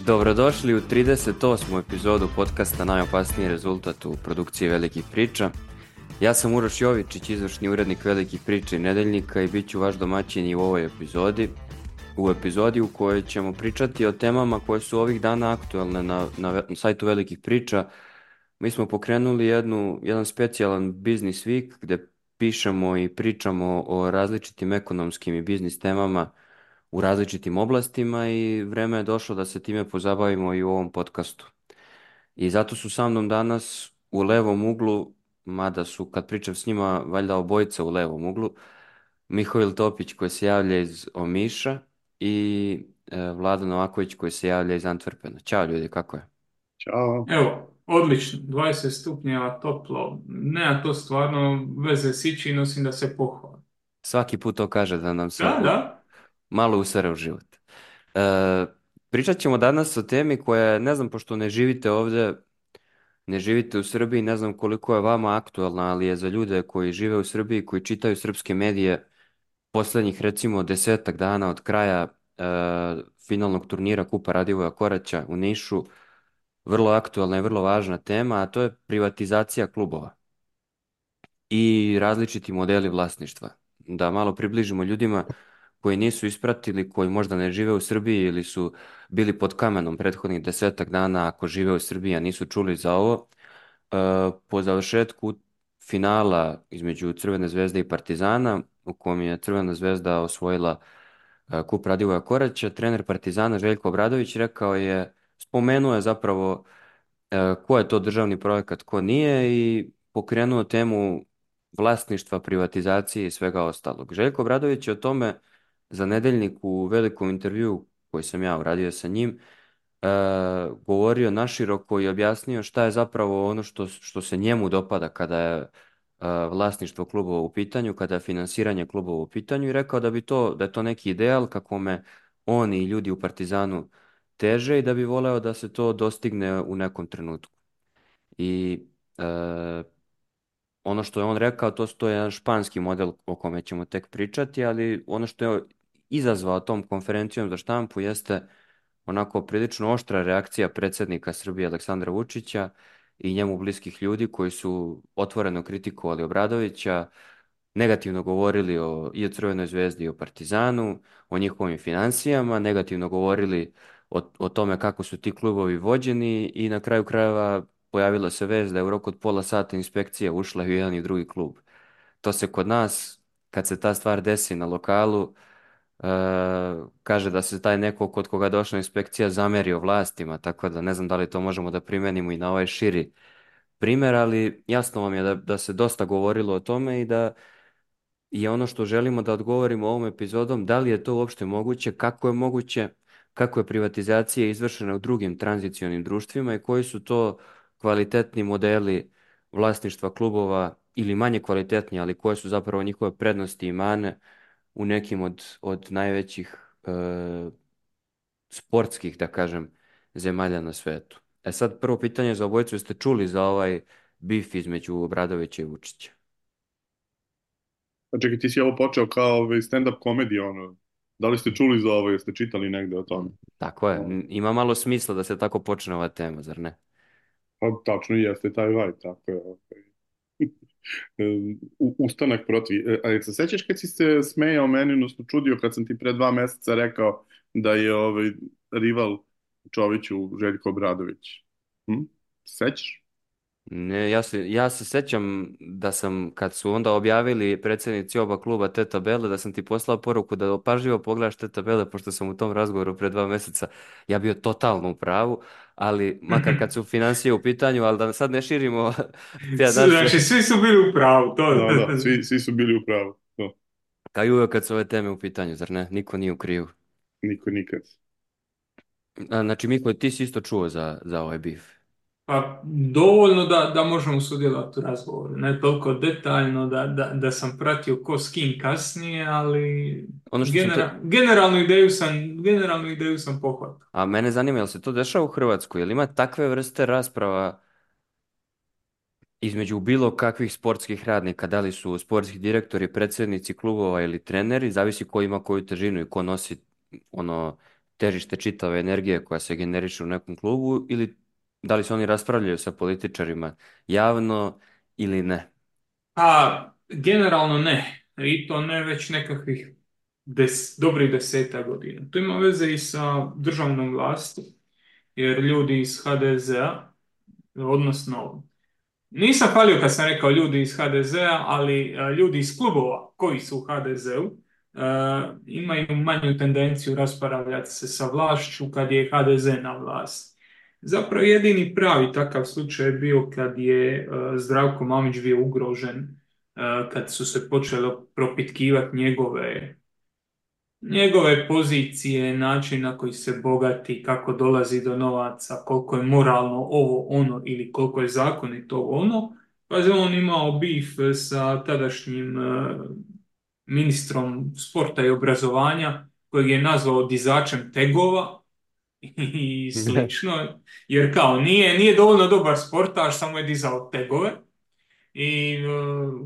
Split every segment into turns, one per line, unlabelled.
Dobrodošli u 38. epizodu podcasta Najopasniji rezultat u produkciji Velikih priča. Ja sam Uroš Jovičić, izvršni urednik Velikih priča i Nedeljnika i bit ću vaš domaćin i u ovoj epizodi. U epizodi u kojoj ćemo pričati o temama koje su ovih dana aktualne na sajtu Velikih priča. Mi smo pokrenuli jedan specijalan Business Week gdje pišemo i pričamo o različitim ekonomskim i biznis temama u različitim oblastima i vreme je došlo da se time pozabavimo i u ovom podcastu. I zato su sa mnom danas u levom uglu, mada su kad pričam s njima valjda obojica u levom uglu, Mihovil Topić koji se javlja iz Omiša i Vlado Novaković koji se javlja iz Antwerpena. Ćao ljudi, kako je?
Ćao.
Evo, odlično, 20 stupnjeva toplo, nema to stvarno veze s ičim, osim da se pohvali.
Svaki put to kaže da nam se
Da, da.
malo usere u život. E, Pričat ćemo danas o temi koja, ne znam, pošto ne živite ovdje, ne živite u Srbiji, ne znam koliko je vama aktualna, ali je za ljude koji žive u Srbiji, koji čitaju srpske medije, posljednjih recimo 10 dana od kraja finalnog turnira Kupa Radivoja Koraća u Nišu, vrlo aktualna i vrlo važna tema, a to je privatizacija klubova i različiti modeli vlasništva. Da malo približimo ljudima koji nisu ispratili, koji možda ne žive u Srbiji ili su bili pod kamenom prethodnih 10 dana, ako žive u Srbiji, a nisu čuli za ovo. Po završetku finala između Crvene zvezde i Partizana, u kom je Crvena zvezda osvojila kup Radivoja Koraća, trener Partizana Željko Obradović spomenuo je zapravo ko je to državni projekat, ko nije i pokrenuo temu vlasništva, privatizacije i svega ostalog. Željko Obradović je o tome za Nedeljnik u velikom intervjuu koji sam ja uradio sa njim e, govorio naširoko i objasnio šta je zapravo ono što se njemu dopada kada je vlasništvo klubova u pitanju, kada je finansiranje klubova u pitanju i rekao da je to neki ideal kakvome on i ljudi u Partizanu teže i da bi voleo da se to dostigne u nekom trenutku. I e, ono što je on rekao, to je jedan španski model o kome ćemo tek pričati, ali ono što je izazvao tom konferencijom za štampu jeste onako prilično oštra reakcija predsjednika Srbije Aleksandra Vučića i njemu bliskih ljudi koji su otvoreno kritikovali Obradovića, negativno govorili i o Crvenoj zvezdi i o Partizanu, o njihovim financijama, negativno govorili o tome kako su ti klubovi vođeni i na kraju krajeva pojavila se vez da je u roku od pola sata inspekcija ušla i u jedan i drugi klub. To se kod nas, kad se ta stvar desi na lokalu, e, kaže da se taj neko kod koga je došla inspekcija zamerio vlastima, tako da ne znam da li to možemo da primenimo i na ovaj širi primjer, ali jasno vam je da se dosta govorilo o tome i da je ono što želimo da odgovorimo ovom epizodom, da li je to uopšte moguće, kako je privatizacija izvršena u drugim tranzicionim društvima i koji su to kvalitetni modeli vlasništva klubova ili manje kvalitetni, ali koje su zapravo njihove prednosti i mane u nekim od najvećih sportskih, da kažem, zemalja na svetu. E sad, prvo pitanje za obojicu, jeste čuli za ovaj bif između Obradovića i Vučića?
A čekaj, ti si ovo počeo kao stand-up komedija, ono. Da li ste čuli za ovo, jeste čitali negde o tome?
Tako je.
No.
Ima malo smisla da se tako počne ova tema, zar ne?
Pa tačno i jeste taj vibe, tako je. Ustanak protiv. A se sećaš kad si se smejao meni, odnosno čudio kad sam ti pre 2 meseca rekao da je rival Čoviću Željko Obradović? Hm? Sećaš?
Ne, ja se sećam da sam, kad su onda objavili predsjednici oba kluba te tabele, da sam ti poslao poruku da pažljivo pogledaš te tabele, pošto sam u tom razgovoru pre 2 mjeseca ja bio totalno u pravu, ali makar kad su financije u pitanju, ali da sad ne širimo te naše,
Znači, svi su bili u pravu, to.
Da, da, svi su bili u pravu. Da,
kao i uvijek kad su ove teme u pitanju, zar ne? Niko nije u krivu.
niko nikad.
Znači, Miko, ti si isto čuo za ovaj bif.
Pa dovoljno da možemo sudjelovati u razgovoru. Ne toliko detaljno da sam pratio ko s kim kasnije, ali
Ono što sam te,
generalnu ideju sam pohvatao.
A mene zanima, jel se to dešava u Hrvatskoj? Jel ima takve vrste rasprava između bilo kakvih sportskih radnika, da li su sportski direktori, predsjednici klubova ili treneri, zavisi ko ima koju težinu i ko nosi ono težište čitave energije koja se generiše u nekom klubu ili da li se oni raspravljaju sa političarima javno ili ne?
A generalno ne. I to ne već nekakvih dobrih 10 godina. To ima veze i sa državnom vlasti, jer ljudi iz HDZ-a, odnosno nisam hvalio kad sam rekao ljudi iz HDZ-a, ali ljudi iz klubova koji su u HDZ-u imaju manju tendenciju raspravljati se sa vlašću kad je HDZ na vlasti. Zapravo jedini pravi takav slučaj je bio kad je Zdravko Mamić bio ugrožen, kad su se počeli propitkivati njegove pozicije, način na koji se bogati, kako dolazi do novaca, koliko je moralno ovo ono ili koliko je zakonito ovo ono. Pa je on imao bif sa tadašnjim ministrom sporta i obrazovanja kojeg je nazvao dizačem tegova i slično. Jer kao nije dovoljno dobar sportaš, samo je dizao tegove. I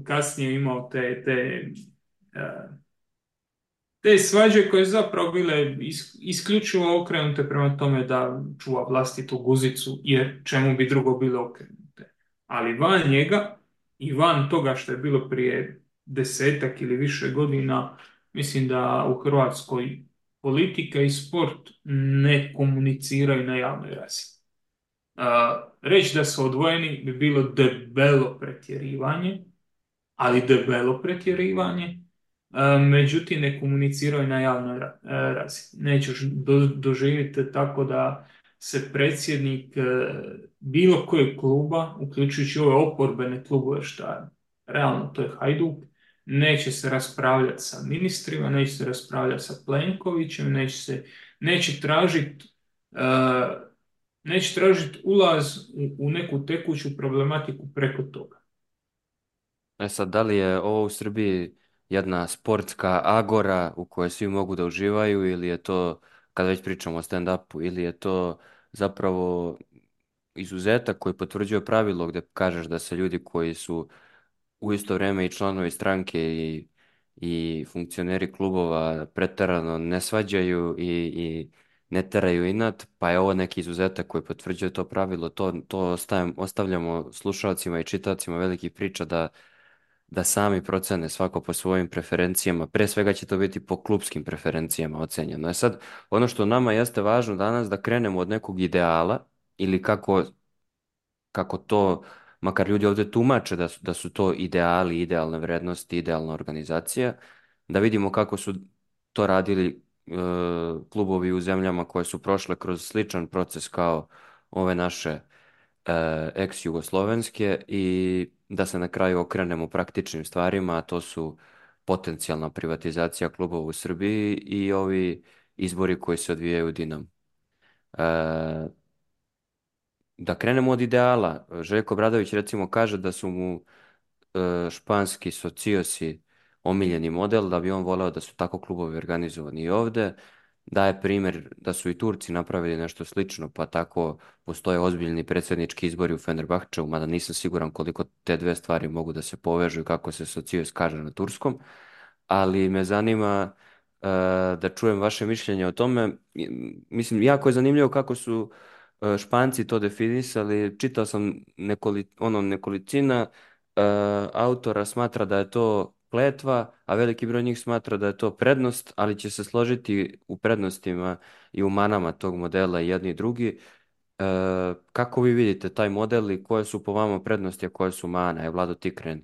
kasnije je imao te svađe koje su zapravo bile isključivo okrenute prema tome da čuva vlastitu guzicu, jer čemu bi drugo bile okrenute. Ali van njega i van toga što je bilo prije 10 ili više godina, mislim da u Hrvatskoj politika i sport ne komuniciraju na javnoj razini. Reći da su odvojeni bi bilo debelo pretjerivanje, ali debelo pretjerivanje. Međutim ne komuniciraju na javnoj razini. Nećeš doživjeti tako da se predsjednik bilo kojeg kluba, uključujući ove oporbene klubove, šta realno to je Hajduk, neće se raspravljati sa ministrima, neće se raspravljati sa Plenkovićem, neće tražiti neće tražiti ulaz u neku tekuću problematiku preko toga.
E sad, da li je ovo u Srbiji jedna sportska agora u kojoj svi mogu da uživaju ili je to, kada već pričamo o stand-upu, ili je to zapravo izuzetak koji potvrđuje pravilo gdje kažeš da se ljudi koji su u isto vrijeme i članovi stranke i funkcioneri klubova preterano ne svađaju i ne teraju inat, pa je ovo neki izuzetak koji potvrđuje to pravilo. To ostavljamo slušalcima i čitacima velikih priča da sami procene svako po svojim preferencijama. Pre svega će to biti po klupskim preferencijama ocenjeno. Sad, ono što nama jeste važno danas da krenemo od nekog ideala ili kako to, makar ljudi ovdje tumače da su to ideali, idealne vrednosti, idealna organizacija, da vidimo kako su to radili klubovi u zemljama koje su prošle kroz sličan proces kao ove naše ex-jugoslovenske i da se na kraju okrenemo praktičnim stvarima, a to su potencijalna privatizacija klubova u Srbiji i ovi izbori koji se odvijaju u Dinamo. Da krenemo od ideala. Željko Obradović recimo kaže da su mu španski sociosi omiljeni model, da bi on voleo da su tako klubovi organizovani i ovdje. Daje primjer da su i Turci napravili nešto slično, pa tako postoje ozbiljni predsjednički izbori u Fenerbahčevu, mada nisam siguran koliko te dve stvari mogu da se povežu i kako se socios kaže na turskom, ali me zanima da čujem vaše mišljenje o tome. Mislim, jako je zanimljivo kako su Španci to definisali. Čitao sam nekolicina autora smatra da je to kletva, a veliki broj njih smatra da je to prednost, ali će se složiti u prednostima i u manama tog modela i jedni i drugi. Kako vi vidite taj model i koje su po vama prednosti, a koje su mane? Vlado, ti kreni.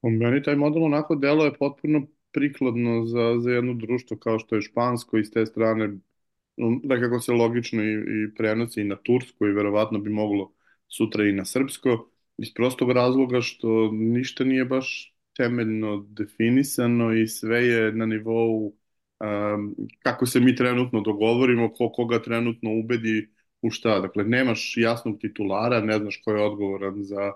Po meni taj model onako deluje potpuno prikladno za jedno društvo kao što je špansko i s te strane nekako se logično i prenosi i na tursko i verovatno bi moglo sutra i na srpsko iz prostog razloga što ništa nije baš temeljno definisano i sve je na nivou kako se mi trenutno dogovorimo, ko koga trenutno ubedi u šta. Dakle, nemaš jasnog titulara, ne znaš ko je odgovoran za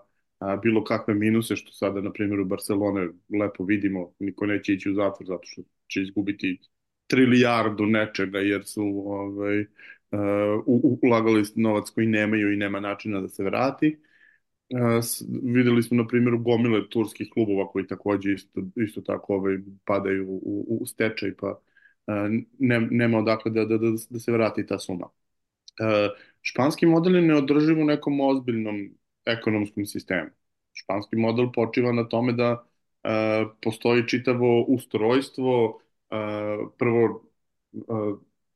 bilo kakve minuse, što sada, na primjer, u Barcelone lepo vidimo, niko neće ići u zatvor zato što će izgubiti trilijardu nečega jer su ulagali novac koji nemaju i nema načina da se vrati. Videli smo na primjer gomile turskih klubova koji također isto tako padaju u stečaj pa nema odakle da se vrati ta suma. Španski model je neodrživ u nekom ozbiljnom ekonomskom sistemu. Španski model počiva na tome da postoji čitavo ustrojstvo, prvo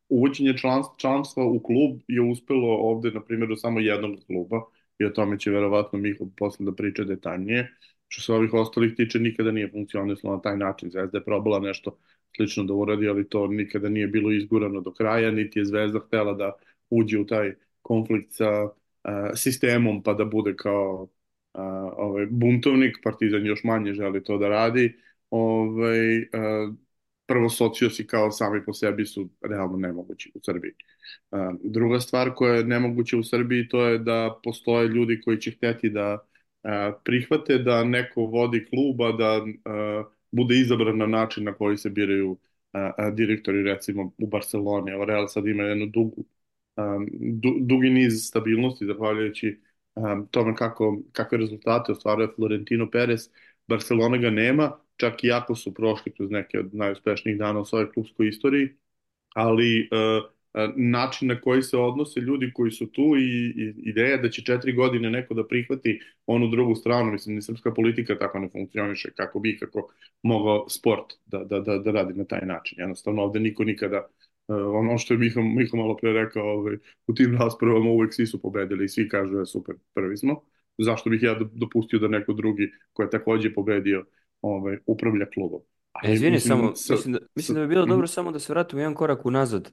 uvođenje članstva u klub je uspelo ovde na primjeru samo jednog kluba i o tome će verovatno Miho posle da priča detaljnije. Što se ovih ostalih tiče, nikada nije funkcionisalo na taj način. Zvezda je probala nešto slično da uradi, ali to nikada nije bilo izgurano do kraja, niti je Zvezda htela da uđe u taj konflikt sa sistemom pa da bude kao buntovnik. Partizan još manje želi to da radi. Prvo, sociosi kao sami po sebi su realno nemogući u Srbiji. Druga stvar koja je nemoguća u Srbiji to je da postoje ljudi koji će hteti da prihvate da neko vodi kluba, da bude izabran na način na koji se biraju direktori, recimo u Barceloni. Evo, Real sad ima jednu dugi niz stabilnosti zahvaljujući tome kakve rezultate ostvaruje Florentino Perez. Barcelona ga nema, čak i ako su prošli kroz neke od najuspešnijih dana u svojoj klubskoj istoriji, ali način na koji se odnose ljudi koji su tu i ideja da će 4 godine neko da prihvati onu drugu stranu, mislim, ni srpska politika tako ne funkcioniše kako mogao sport da radi na taj način. Jednostavno ovde niko nikada, ono što je Miho malo pre rekao, u tim raspravama uvek svi su pobedili i svi kažu je super, prvi smo. Zašto bih ja dopustio da neko drugi ko je takođe pobedio upravlja klubom? Ali
Izvini,
mislim,
samo, mislim da bi bilo dobro samo da se vratimo jedan korak unazad,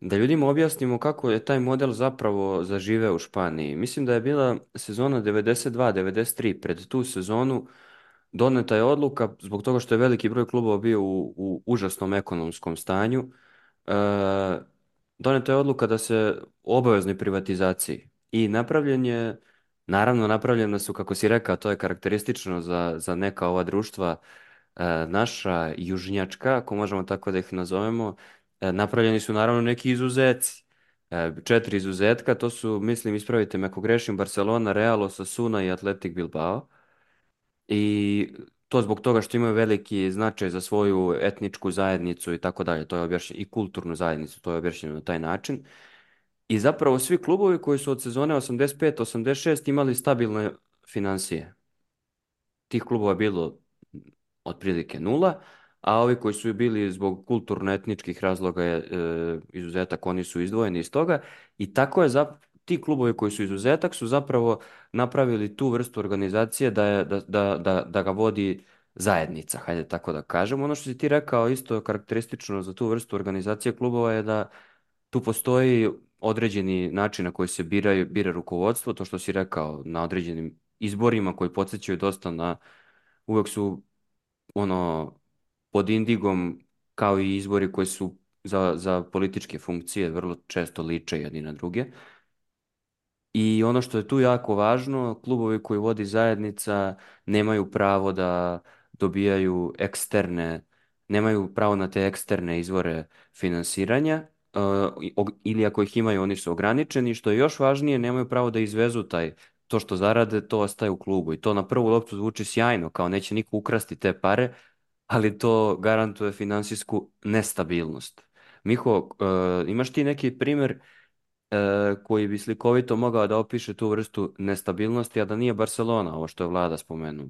da ljudima objasnimo kako je taj model zapravo zaživeo u Španiji. Mislim da je bila sezona 92-93, pred tu sezonu doneta je odluka, zbog toga što je veliki broj klubova bio u užasnom ekonomskom stanju, e, doneta je odluka da se o obaveznoj privatizaciji i naravno napravljene su, kako si rekao, to je karakteristično za neka ova društva, naša južnjačka, ako možemo tako da ih nazovemo, napravljeni su naravno neki izuzeci. 4 izuzetka, to su, mislim, ispravite me ako grešim, Barcelona, Real, Osasuna i Athletic Bilbao. I to zbog toga što imaju veliki značaj za svoju etničku zajednicu i tako dalje, to je objašnjeno, i kulturnu zajednicu, to je objašnjeno na taj način. I zapravo svi klubovi koji su od sezone 85-86 imali stabilne financije. Tih klubova je bilo otprilike nula, a ovi koji su bili zbog kulturno-etničkih razloga izuzetak, oni su izdvojeni iz toga i tako je ti klubovi koji su izuzetak su zapravo napravili tu vrstu organizacije da ga vodi zajednica, hajde tako da kažem. Ono što si ti rekao isto karakteristično za tu vrstu organizacije klubova je da tu postoji određeni način na koji se bira rukovodstvo, to što si rekao, na određenim izborima koji podsjećaju dosta na, uvek su ono pod indigom, kao i izbori koji su za političke funkcije vrlo često liče jedni na druge. I ono što je tu jako važno, klubovi koji vodi zajednica nemaju pravo da dobijaju nemaju pravo na te eksterne izvore finansiranja, ili ako ih imaju, oni su ograničeni. Što je još važnije, nemaju pravo da izvezu to što zarade, to ostaje u klubu. I to na prvu loptu zvuči sjajno, kao neće niko ukrasti te pare, ali to garantuje finansijsku nestabilnost. Miho, imaš ti neki primjer koji bi slikovito mogao da opiše tu vrstu nestabilnosti, a da nije Barcelona, ovo što je Vlada spomenuo?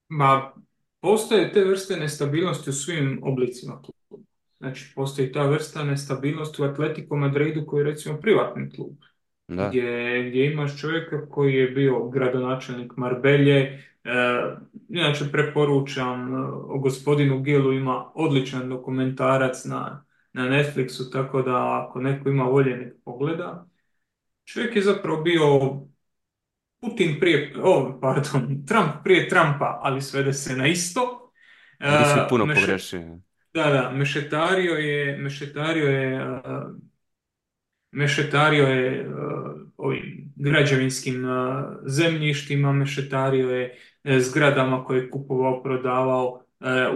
Ma, postoje te vrste nestabilnosti u svim oblicima kluba. Znači, postoji ta vrsta nestabilnosti u Atletico Madridu koji je recimo privatni klub,
Da.
gdje imaš čovjeka koji je bio gradonačelnik Marbelje. Inače, preporučam, o gospodinu Gilu ima odličan dokumentarac na Netflixu, tako da ako neko ima volje nek pogleda. Čovjek je zapravo bio Trump prije Trumpa, ali svede se na isto.
Nisi puno
Meše,
pogrešio.
da, mešetario je ovim građevinskim zemljištima, mešetario je zgradama koje je kupovao, prodavao.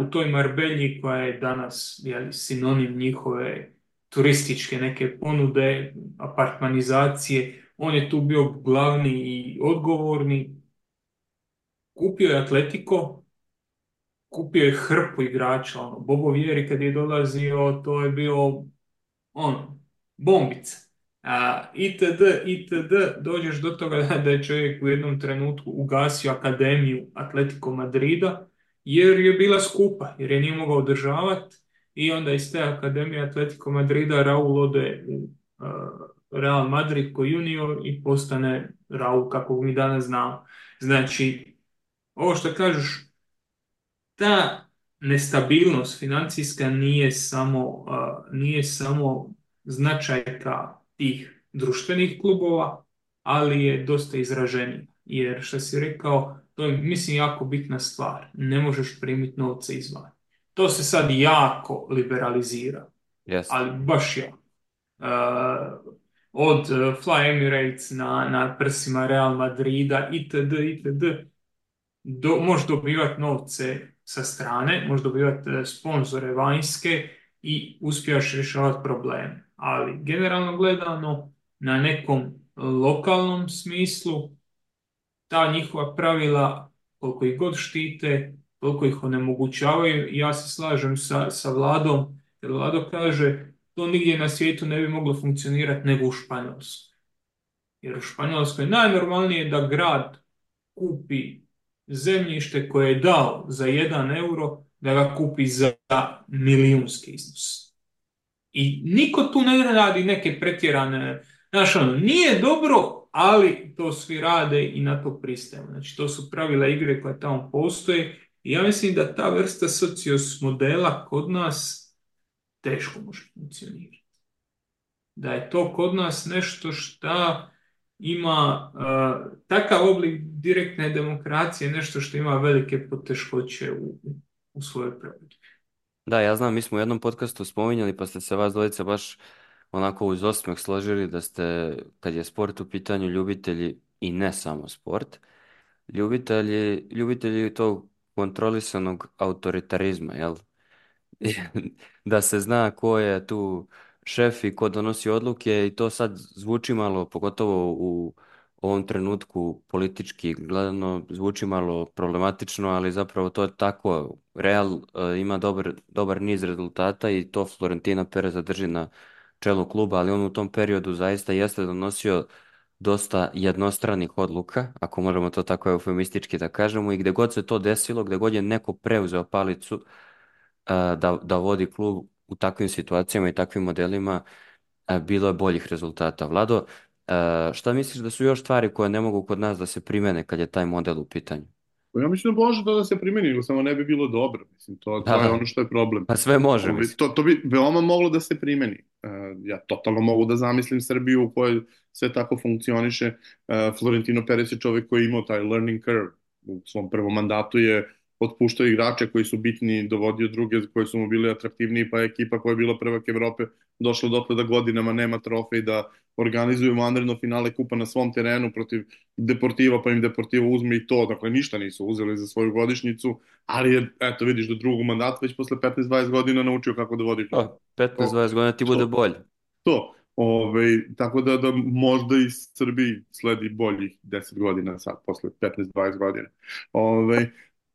U toj Marbelji koja je danas sinonim njihove turističke neke ponude, apartmanizacije, on je tu bio glavni i odgovorni. Kupio je Atletico, kupio je hrpu igrača, ono, Bobo Vjeri kad je dolazio, to je bio, ono, bombica. Itd., itd., dođeš do toga da je čovjek u jednom trenutku ugasio akademiju Atletico Madrida, jer je bila skupa, jer je nije mogao održavati i onda iz te akademije Atletico Madrida Raul ode u Real Madrid ko junior i postane Raul kakvog mi danas znamo. Znači, ovo što kažeš, ta nestabilnost financijska nije samo značajka tih društvenih klubova, ali je dosta izraženija. Jer što si rekao, to je mislim jako bitna stvar. Ne možeš primiti novce izvana. To se sad jako liberalizira,
Jeste.
ali baš jako. Od Fly Emirates na prsima Real Madrida itd. itd. Možeš dobivati novce sa strane, možeš dobivati sponzore vanjske i uspijaš rješavati probleme. Ali generalno gledano na nekom lokalnom smislu ta njihova pravila koliko ih god štite, koliko ih onemogućavaju. I ja se slažem sa Vladom, jer Vlado kaže to nigdje na svijetu ne bi moglo funkcionirati nego u Španjolskoj. Jer u Španjolskoj je najnormalnije da grad kupi zemljište koje je dao za 1 euro, da ga kupi za milijunski iznos. I niko tu ne radi neke pretjerane, znaš ono, nije dobro, ali to svi rade i na to pristajemo. Znači, to su pravila igre koja tamo postoje i ja mislim da ta vrsta socios modela kod nas teško može funkcionirati. Da je to kod nas nešto šta ima takav oblik direktne demokracije, nešto što ima velike poteškoće u svojoj provedbi.
Da, ja znam, mi smo u jednom podcastu spominjali, pa ste se vas dvojica baš onako uz osmeh složili da ste, kad je sport u pitanju, ljubitelji i ne samo sport, ljubitelji tog kontrolisanog autoritarizma, jel? Da se zna ko je tu šef i ko donosi odluke i to sad zvuči malo, pogotovo u ovom trenutku politički gledano, zvuči malo problematično, ali zapravo to je tako. Real ima dobar niz rezultata i to Florentina Pereza drži na čelu kluba, ali on u tom periodu zaista jeste donosio dosta jednostranih odluka, ako možemo to tako eufemistički da kažemo, i gdje god se to desilo, gdje god je neko preuzeo palicu da vodi klub u takvim situacijama i takvim modelima, bilo je boljih rezultata. Vlado, šta misliš da su još stvari koje ne mogu kod nas da se primene kad je taj model u pitanju?
Pa ja mislim da može to da se primeni, nego samo ne bi bilo dobro. Mislim, to je
Da,
ono što je problem.
pa sve može, mislim.
To bi veoma moglo da se primeni. Ja totalno mogu da zamislim Srbiju u kojoj sve tako funkcioniše. Florentino Perez je čovjek koji je imao taj learning curve. U svom prvom mandatu je otpuštao igrače koji su bitni, dovodio druge koji su mu bili atraktivniji, pa je ekipa koja je bila prvak Evrope došla dotle da godinama nema trofej, da organizuju vanredno finale kupa na svom terenu protiv Deportiva, pa im Deportivo uzme i to. Dakle, ništa nisu uzeli za svoju godišnjicu, ali je, eto, vidiš, do drugog mandata već posle 15-20 godina naučio kako da vodi klub.
15-20 godina ti bude
To,
bolje.
to. Tako da možda i Srbiji sledi boljih 10 godina sad, posle 15-20 godina. Ove,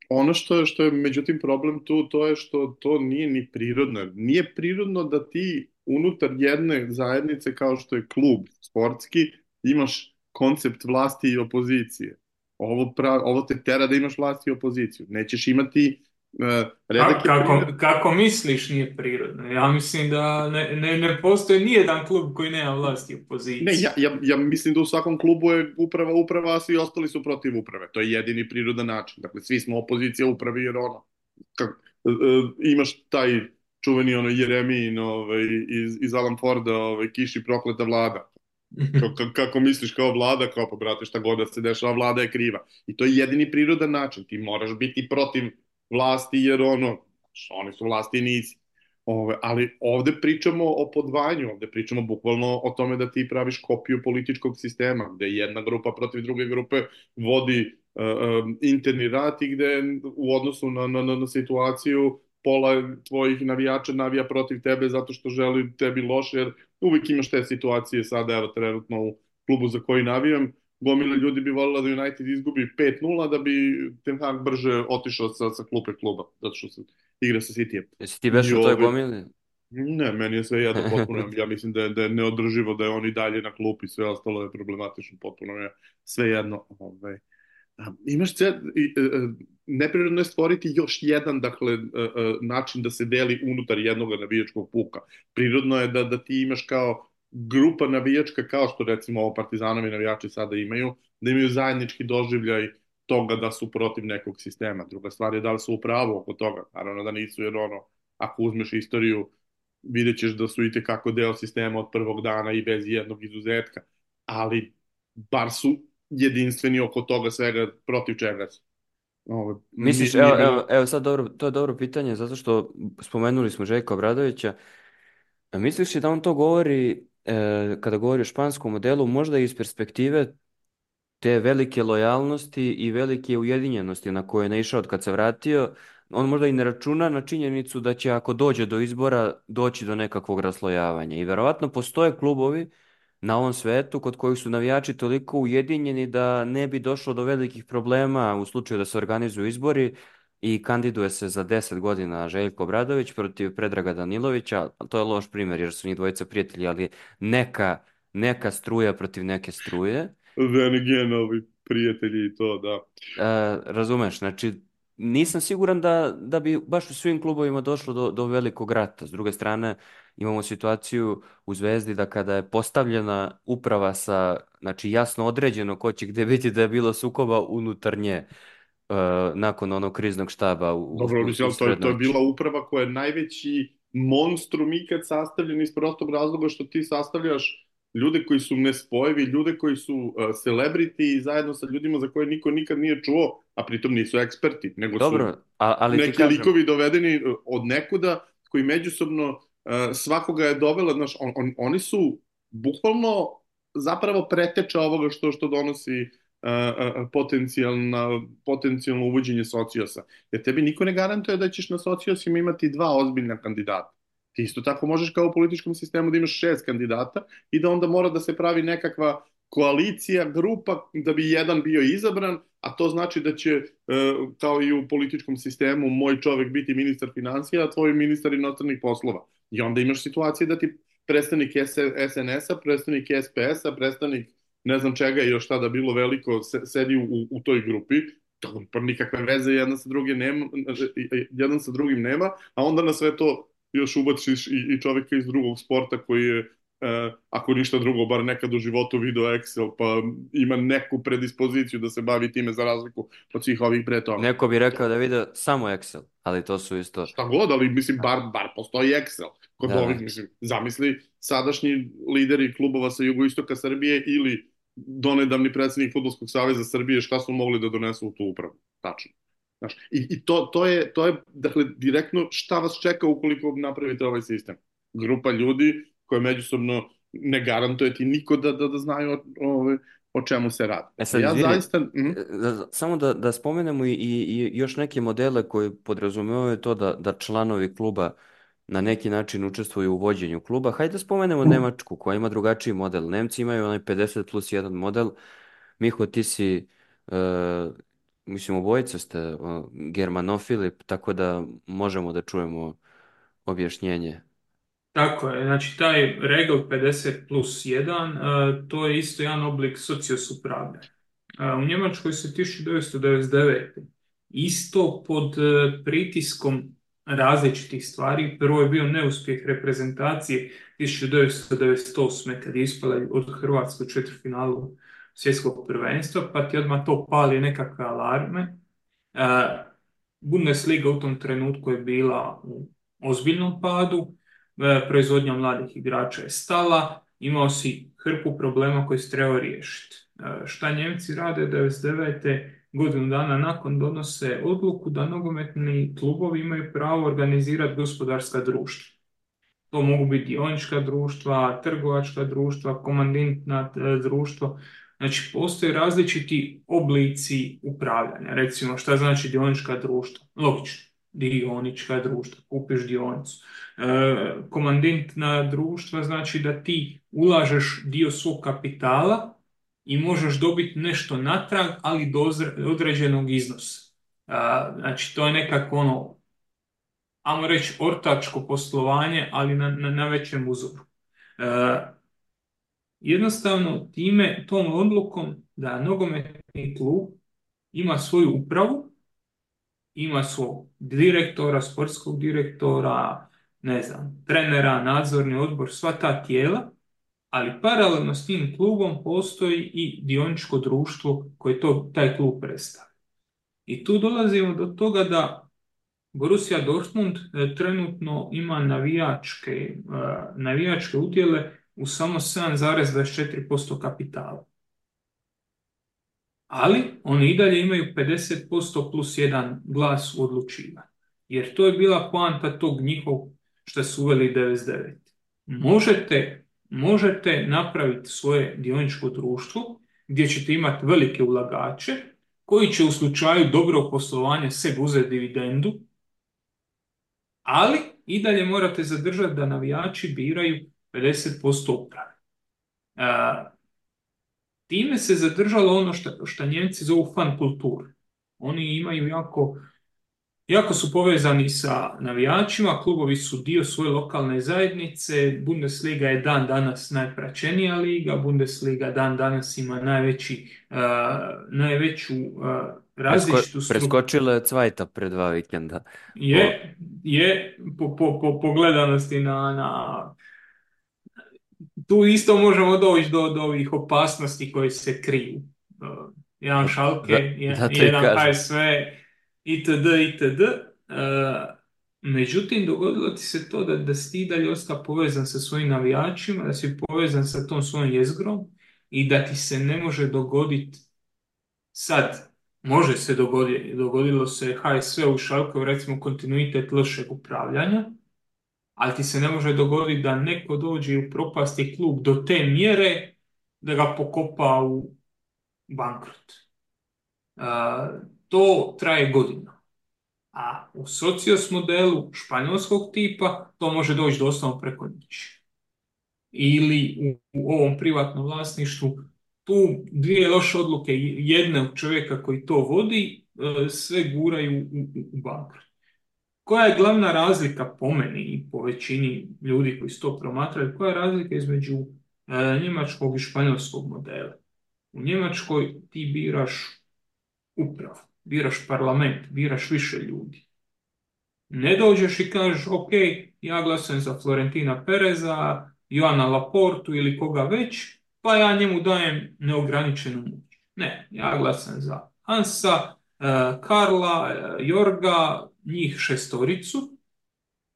ono što je međutim problem tu, to je što to nije ni prirodno. Nije prirodno da ti unutar jedne zajednice kao što je klub sportski imaš koncept vlasti i opozicije. Ovo te tera da imaš vlast i opoziciju. Nećeš imati redak je primjer.
Kako misliš nije prirodno? Ja mislim da ne postoji nijedan klub koji nema vlasti u
Ne,
poziciji.
ja mislim da u svakom klubu je uprava, a svi ostali su protiv uprave. To je jedini prirodan način. Dakle, svi smo opozicija upravi jer ono, imaš taj čuveni ono Jeremijin iz Alan Forda, kiši prokleta vlada. Kako misliš kao vlada, kao pa brate šta god da se dešava, vlada je kriva. I to je jedini prirodan način. Ti moraš biti protiv vlasti jer ono, oni su vlasti i nisi. Ali ovde pričamo o podvajanju, ovde pričamo bukvalno o tome da ti praviš kopiju političkog sistema, gde jedna grupa protiv druge grupe vodi interni rat i gde u odnosu na situaciju pola tvojih navijača navija protiv tebe zato što želi tebi loše, jer uvijek imaš te situacije sada, evo trenutno u klubu za koji navijam, gomila ljudi bi volila da United izgubi 5:0 da bi Ten Hag brže otišao sa klupe kluba, zato što se igra sa Cityjem.
Jesi ti
I
beš u toj gomili?
ne, meni je sve jedno potpuno, ja mislim da je neodrživo da je on i dalje na klupi, sve ostalo je problematično, potpuno je sve jedno. Imaš neprirodno je stvoriti još jedan, dakle, način da se deli unutar jednog navijačkog puka. Prirodno je da ti imaš kao grupa navijačka, kao što recimo ovo Partizanovi navijači sada imaju, da imaju zajednički doživljaj toga da su protiv nekog sistema. Druga stvar je da li su u pravu oko toga. Naravno da nisu, jer ono, ako uzmeš istoriju, vidjet ćeš da su i tekako deo sistema od prvog dana i bez jednog izuzetka. Ali bar su jedinstveni oko toga svega protiv čega su.
Misliš,
Nije
evo,
bilo...
evo sad dobro, to je dobro pitanje, zato što spomenuli smo Željka Obradovića. Misliš li da on to govori, kada govori o španskom modelu, možda iz perspektive te velike lojalnosti i velike ujedinjenosti na koje je naišao od kad se vratio, on možda i ne računa na činjenicu da će ako dođe do izbora doći do nekakvog raslojavanja. I verovatno postoje klubovi na ovom svetu kod kojih su navijači toliko ujedinjeni da ne bi došlo do velikih problema u slučaju da se organizuju izbori i kandiduje se za 10 godina Željko Obradović protiv Predraga Danilovića. To je loš primjer jer su njih dvojica prijatelji, ali neka struja protiv neke struje.
Venigenovi prijatelji i to, da.
Razumeš, znači nisam siguran da bi baš u svim klubovima došlo do velikog rata. S druge strane, imamo situaciju u Zvezdi da kada je postavljena uprava znači jasno određeno ko će gde biti, da je bilo sukoba unutar nje nakon onog kriznog štaba
Dobro, mislim,
u
ali to je
sred
bila uprava koja je najveći monstrum ikad sastavljen iz prostog razloga što ti sastavljaš ljude koji su nespojevi, ljude koji su celebrity i zajedno sa ljudima za koje niko nikad nije čuo, a pritom nisu eksperti, nego su
Dobro, ali ti
neki
kažem,
likovi dovedeni od nekuda koji međusobno svakoga je dovela, znaš, oni su bukvalno zapravo preteča ovoga što donosi potencijalno uvođenje sociosa. Jer tebi niko ne garantuje da ćeš na sociosima imati dva ozbiljna kandidata. Ti isto tako možeš kao u političkom sistemu da imaš 6 kandidata i da onda mora da se pravi nekakva koalicija, grupa, da bi jedan bio izabran, a to znači da će, kao i u političkom sistemu, moj čovek biti ministar financija, a tvoj ministar inostranih poslova. I onda imaš situacije da ti predstavnik SNS-a, predstavnik SPS-a, predstavnik ne znam čega i još tada bilo veliko sedi u toj grupi, to pa nikakve veze jedan sa drugim nema, a onda na sve to još ubaciš i čoveka iz drugog sporta koji je ako ništa drugo, bar nekad u životu video Excel, pa ima neku predispoziciju da se bavi time za razliku od svih ovih pre toga.
neko bi rekao da vide samo Excel, ali to su isto...
Šta god, ali mislim, bar postoji Excel. Kod
Da,
ovih,
da.
mislim, zamisli sadašnji lideri klubova sa jugoistoka Srbije ili donedavni predsjednik Fudbalskog saveza Srbije, šta su mogli da donesu u tu upravu. Tačno. Znaš, i to je, dakle, direktno šta vas čeka ukoliko napravite ovaj sistem. Grupa ljudi koje međusobno ne garantuje ti niko da znaju o čemu se radi.
E sad,
Ja
izvini,
zaista...
samo da spomenemo i još neke modele koji podrazumevaju to da članovi kluba na neki način učestvuju u vođenju kluba. Hajde da spomenemo Nemačku koja ima drugačiji model. Nemci imaju onaj 50+1 model. Miho, ti si, mislim, obojica ste germanofili, tako da možemo da čujemo objašnjenje.
Tako je, znači taj regel 50+1, to je isto jedan oblik sociosupravljanja. U Njemačkoj se 1999. isto pod pritiskom različitih stvari, prvo je bio neuspjeh reprezentacije 1998. kad je ispala od Hrvatske u četvrtfinalu svjetskog prvenstva, pa ti odmah to pali nekakve alarme. Bundesliga u tom trenutku je bila u ozbiljnom padu, proizvodnja mladih igrača je stala, imao si hrpu problema koji se trebao riješiti. Šta Njemci rade 99. godinu dana nakon donose odluku da nogometni klubovi imaju pravo organizirati gospodarska društva. To mogu biti dionička društva, trgovačka društva, komanditna društva. Znači, postoje različiti oblici upravljanja. Recimo, šta znači dionička društva? Logično, dionička društva, kupiš dionicu. Komanditna društva znači da ti ulažeš dio svog kapitala i možeš dobiti nešto natrag, ali do određenog iznosa. Znači, to je nekako ono, ajmo reći, ortačko poslovanje, ali na većem uzoru. Jednostavno, tom odlukom da nogometni klub ima svoju upravu, ima svog direktora, sportskog direktora, ne znam, trenera, nadzorni odbor, sva ta tijela, ali paralelno s tim klubom postoji i dioničko društvo koje taj klub predstavlja. I tu dolazimo do toga da Borussia Dortmund trenutno ima navijačke udjele u samo 7,24% kapitala. Ali oni i dalje imaju 50% plus jedan glas u odlučivanju. Jer to je bila poanta tog njihovog što su uveli 99. Možete napraviti svoje dioničko društvo gdje ćete imati velike ulagače koji će u slučaju dobrog poslovanja sebi uzeti dividendu, ali i dalje morate zadržati da navijači biraju 50% uprave. Time se zadržalo ono što Njemci zovu fan kultur. Oni imaju jako su povezani sa navijačima, klubovi su dio svoje lokalne zajednice, Bundesliga je dan danas najpraćenija liga, Bundesliga dan danas ima najveću različitu strukturu.
Preskočila je Cvajta pre 2 vikenda.
Je po gledanosti tu isto možemo doći do ovih opasnosti koje se kriju. Jedan Schalke, jedan HSV, itd. itd. Međutim, dogodilo ti se to da si ti dalje ostao povezan sa svojim navijačima, da si povezan sa tom svojom jezgrom i da ti se ne može dogoditi sad. Može se dogoditi. Dogodilo se HSV u Schalke, recimo kontinuitet lošeg upravljanja, ali ti se ne može dogoditi da neko dođe u propasti klub do te mjere da ga pokopa u bankrot. To traje godina. A u socios modelu španjolskog tipa to može doći doslovno preko noći. Ili u ovom privatnom vlasništvu tu dvije loše odluke jednog čovjeka koji to vodi sve guraju u bankrot. Koja je glavna razlika po meni i po većini ljudi koji su to promatrali, koja je razlika između njemačkog i španjolskog modela? U Njemačkoj ti biraš upravu, biraš parlament, biraš više ljudi. Ne dođeš i kažeš, ok, ja glasujem za Florentina Pereza, Joana Laportu ili koga već, pa ja njemu dajem neograničenu moć. Ne, ja glasujem za Hansa, Karla, Jorga, njih šestoricu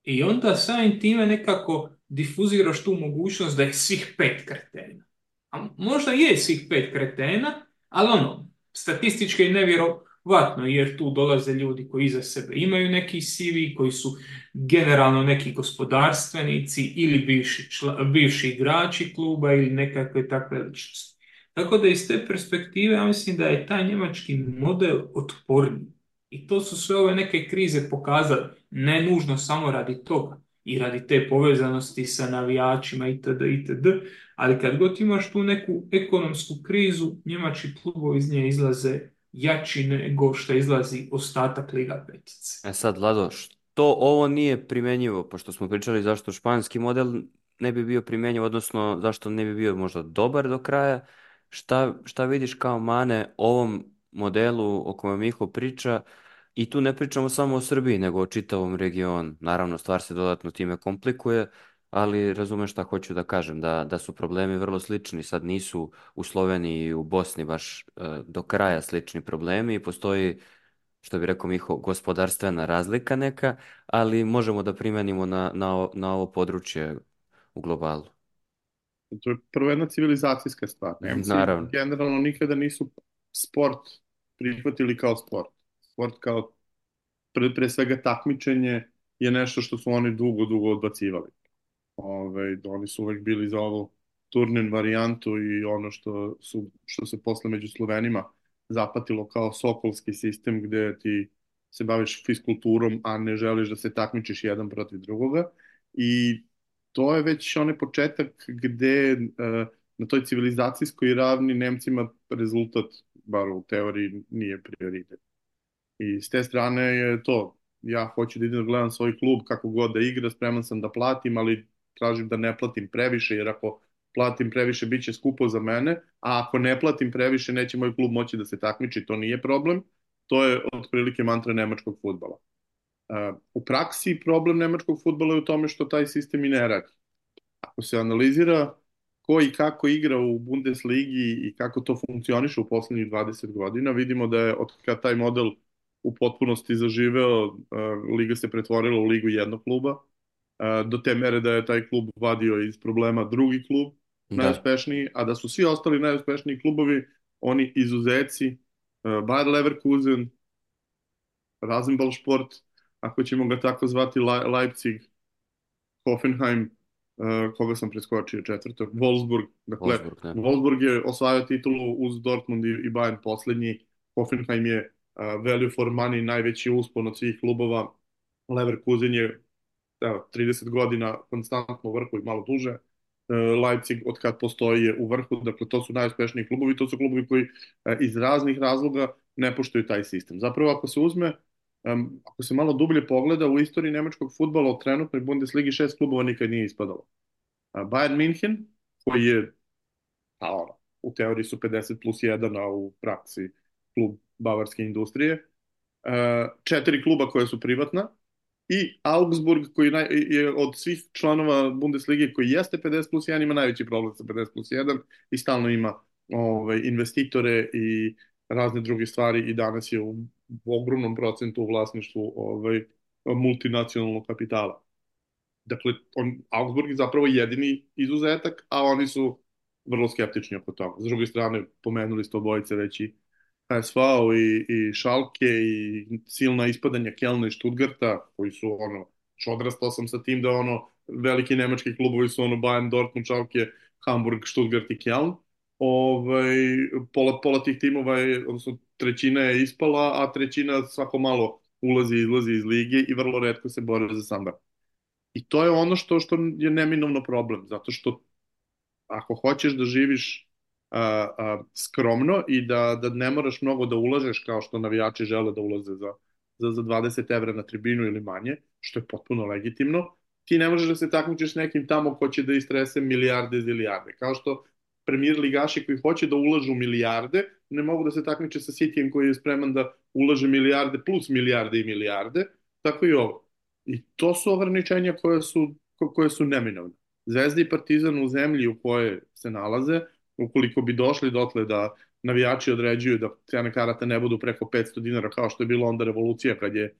i onda samim time nekako difuziraš tu mogućnost da je svih 5 kretena. A možda je svih 5 kretena, ali statistički je nevjerovatno jer tu dolaze ljudi koji iza sebe imaju neki CV, koji su generalno neki gospodarstvenici ili bivši igrači kluba ili nekakve takve ličnosti. Tako da iz te perspektive ja mislim da je taj njemački model otporniji. I to su sve ove neke krize pokazale, ne nužno samo radi toga i radi te povezanosti sa navijačima itd. itd. Ali kad god imaš tu neku ekonomsku krizu, njemački klubovi iz nje izlaze jači nego što izlazi ostatak Liga petice.
Sad, Vlado, što ovo nije primjenjivo, pošto smo pričali zašto španski model ne bi bio primjenjiv, odnosno zašto ne bi bio možda dobar do kraja, šta vidiš kao mane ovom modelu o kojem Miho priča i tu ne pričamo samo o Srbiji, nego o čitavom regionu. Naravno, stvar se dodatno time komplikuje, ali razumeš šta hoću da kažem, da su problemi vrlo slični, sad nisu u Sloveniji i u Bosni baš do kraja slični problemi i postoji, što bi rekao Miho, gospodarstvena razlika neka, ali možemo da primenimo na ovo područje u globalu.
To je prvo jedna civilizacijska stvar. Nemci
Naravno.
generalno nikada nisu sport prihvatili kao sport. Sport kao pre svega takmičenje je nešto što su oni dugo odbacivali. Oni su uvek bili za ovu turnin varijantu i ono što se posle među Slovenima zapatilo kao sokolski sistem gde ti se baviš fiskulturom, a ne želiš da se takmičiš jedan protiv drugoga. I to je već onaj početak gde na toj civilizacijskoj ravni Nemcima rezultat, bar u teoriji, nije prioritet. I s te strane je to, ja hoću da idem da gledam svoj klub kako god da igra, spreman sam da platim, ali tražim da ne platim previše, jer ako platim previše, bit će skupo za mene, a ako ne platim previše, neće moj klub moći da se takmiči, to nije problem. To je otprilike mantra nemačkog fudbala. U praksi problem nemačkog fudbala je u tome što taj sistem i ne radi. Ako se analizira ko i kako igra u Bundesligi i kako to funkcioniše u poslednjih 20 godina, vidimo da je od kada taj model u potpunosti zaživeo, liga se pretvorila u ligu jednog kluba, do te mere da je taj klub vadio iz problema drugi klub,
Da,
najuspešniji, a da su svi ostali najuspešniji klubovi, oni izuzeci, Bayer Leverkusen, Rasenballsport, ako ćemo ga tako zvati, Leipzig, Hoffenheim, koga sam preskočio četvrtog, Wolfsburg, dakle,
Wolfsburg, da.
Wolfsburg je osvajao titulu uz Dortmund i Bayern poslednji, Hoffenheim je value for money najveći uspon od svih klubova, Leverkusen je evo, 30 godina konstantno u vrhu i malo duže, Leipzig od kad postoji je u vrhu, dakle to su najuspešniji klubovi, to su klubovi koji iz raznih razloga ne poštuju taj sistem. Zapravo ako se uzme, ako se malo dublje pogleda, u istoriji nemačkog fudbala u trenutnoj Bundesligi 6 klubova nikad nije ispadalo. Bayern München, koji je, pa ono, u teoriji su 50 plus 1, a u praksi klub bavarske industrije, 4 kluba koja su privatna, i Augsburg koji je od svih članova Bundeslige koji jeste 50 plus 1 ima najveći problem sa 50 plus 1 i stalno ima investitore i razne druge stvari i danas je u ogromnom procentu u vlasništvu multinacionalnog kapitala. Dakle, Augsburg je zapravo jedini izuzetak, a oni su vrlo skeptični oko toga. S druge strane, pomenuli ste obojice već i HSV i Schalke i silna ispadanja Kelna i Stuttgarta, koji su ono, odrastao sam sa tim da ono, veliki nemački klubovi su ono Bayern, Dortmund, Schalke, Hamburg, Stuttgart i Keln. Pola tih timova je, odnosno trećina je ispala, a trećina svako malo ulazi i izlazi iz lige i vrlo retko se bore za standard. I to je ono što je neminovno problem, zato što ako hoćeš da živiš skromno i da ne moraš mnogo da ulažeš kao što navijači žele da ulaze za 20 evra na tribinu ili manje, što je potpuno legitimno, ti ne možeš da se takmičiš s nekim tamo ko će da istrese milijarde i zilijarde. Kao što premier ligaši koji hoće da ulažu milijarde ne mogu da se takmiče sa Cityjem koji je spreman da ulaže milijarde plus milijarde i milijarde, tako i ovo. I to su ograničenja koje su neminovne. Zvezda i Partizan u zemlji u kojoj se nalaze, ukoliko bi došli dotle da navijači određuju da cene karata ne budu preko 500 dinara kao što je bilo onda revolucija kad je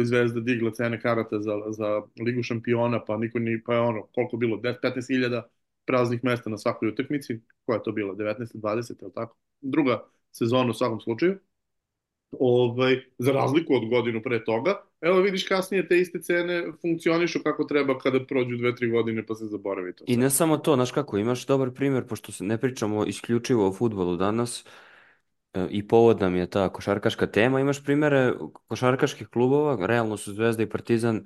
Zvezda digla cene karata za Ligu šampiona, pa niko ni, pa je ono, koliko bilo, 10-15 hiljada praznih mesta na svakoj utakmici, koja je to bila, 19 20, je li tako? Druga sezona u svakom slučaju, za razliku od godinu pre toga. Evo vidiš kasnije te iste cene funkcionišu kako treba kada prođu 2-3 godine pa se zaboravi to
I
sve.
ne samo to, znaš kako, imaš dobar primjer, pošto se ne pričamo isključivo o fudbalu danas, i povod nam je ta košarkaška tema, imaš primjere košarkaških klubova, realno su Zvezda i Partizan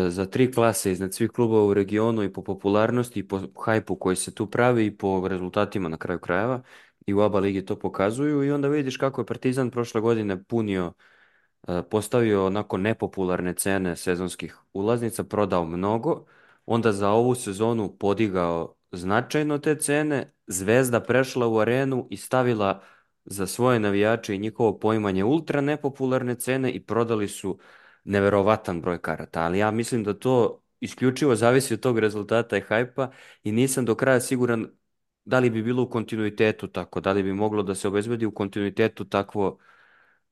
za 3 klase iznad svih klubova u regionu i po popularnosti i po hajpu koji se tu pravi i po rezultatima na kraju krajeva i u oba ligi to pokazuju i onda vidiš kako je Partizan prošle godine punio, postavio onako nepopularne cene sezonskih ulaznica, prodao mnogo, onda za ovu sezonu podigao značajno te cene, Zvezda prešla u arenu i stavila za svoje navijače i njihovo poimanje ultra nepopularne cene i prodali su neverovatan broj karata, ali ja mislim da to isključivo zavisi od tog rezultata i hajpa i nisam do kraja siguran da li bi bilo u kontinuitetu tako, da li bi moglo da se obezbedi u kontinuitetu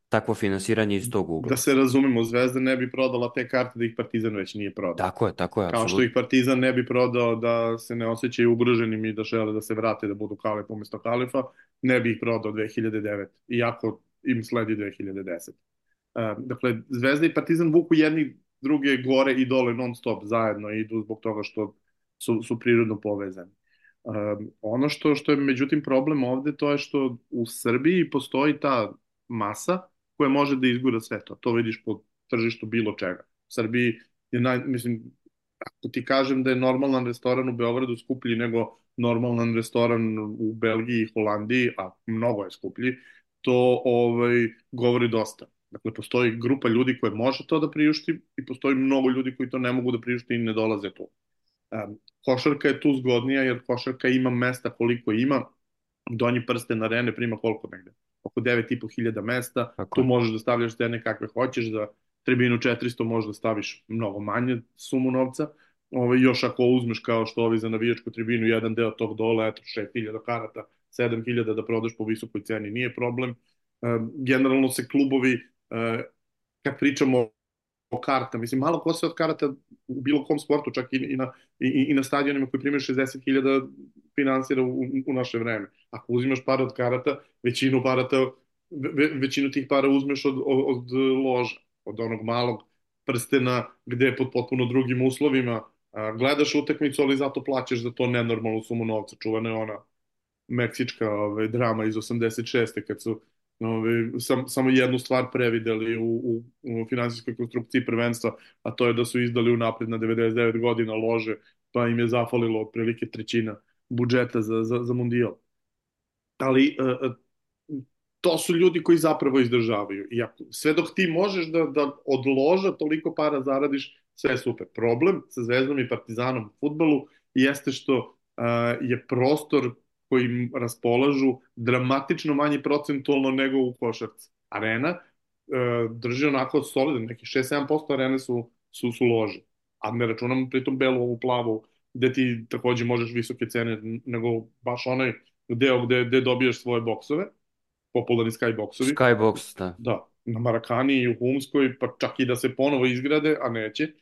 takvo finansiranje iz tog
Da
ugla.
se razumemo, Zvezda ne bi prodala te karte da ih Partizan već nije prodao.
Tako je,
Kao što ih
apsolutno.
Partizan ne bi prodao da se ne osjećaju ugroženim i da žele da se vrate da budu Kalif umesto Kalifa, ne bi ih prodao 2009, iako im sledi 2010. Dakle, Zvezda i Partizan vuku jedni druge gore i dole non stop zajedno i idu zbog toga što su prirodno povezani. Ono što je međutim problem ovde to je što u Srbiji postoji ta masa koja može da izgura sve to. To vidiš po tržištu bilo čega. U Srbiji je mislim, Ako ti kažem da je normalan restoran u Beogradu skuplji nego normalan restoran u Belgiji i Holandiji, a mnogo je skuplji, to govori dosta. Dakle, postoji grupa ljudi koje može to da priušti i postoji mnogo ljudi koji to ne mogu da priušti i ne dolaze tu. Košarka je tu zgodnija jer košarka ima mesta koliko ima. Donji prsten arene prima koliko negde? Oko 9.500 mesta.
Tako
Tu
je.
možeš da stavljaš cene kakve hoćeš. Za tribinu 400 možeš da staviš mnogo manje sumu novca. Još ako uzmeš kao što ovi za navijačku tribinu jedan deo tog dola, eto 6.000 karata, 7.000 da prodaš po visokoj ceni, nije problem. Generalno se klubovi, kad pričamo o karta. Mislim, malo ko se od karata u bilo kom sportu, čak i na stadionima koji primaju 60.000 finansira u naše vreme. Ako uzimaš para od karata, većinu tih para uzmeš od loža, od onog malog prstena gde je pod potpuno drugim uslovima. Gledaš utakmicu, ali zato plaćaš za to nenormalnu sumu novca. Čuvena je ona meksička drama iz 86. kad su samo jednu stvar prevideli u finansijskoj konstrukciji prvenstva, a to je da su izdali unapred na 99 godina lože, pa im je zafalilo otprilike trećina budžeta za mundijal. Ali to su ljudi koji zapravo izdržavaju. I sve dok ti možeš da od loža toliko para zaradiš, sve je super. Problem sa Zvezdom i Partizanom u fudbalu jeste što je prostor kojim raspolažu dramatično manji procentualno nego u košarci. Arena drži onako solidan, nekih 6-7% arene su lože. A ne računam pritom belu, ovu plavu, gde ti takođe možeš visoke cene, nego baš onaj deo gde dobijaš svoje boksove, popularni skyboksovi.
Skybox, da.
Da, na Marakani i u Humskoj, pa čak i da se ponovo izgrade, a neće,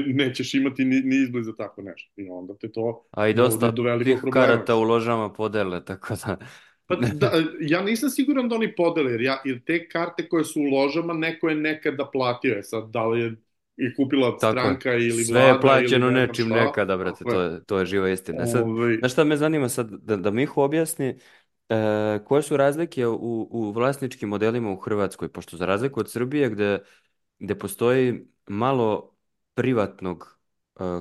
nećeš imati ni izbliza tako nešto. I onda te to
A i
dovodi
dosta
do velikog
tih
problema.
karata u ložama podele, tako da...
Pa da, ja nisam siguran da oni podele, jer te karte koje su u ložama, neko je nekada platio. Sad, da li je kupila
Tako je.
stranka ili
Sve je
vlada ili
plaćeno
ne znam
nečim
šta.
nekada, brate,
Tako je.
to je živa istina. Sad,
Ovaj,
znaš šta me zanima sad, da Miho objasni koje su razlike u vlasničkim modelima u Hrvatskoj, pošto za razliku od Srbije gde postoji malo privatnog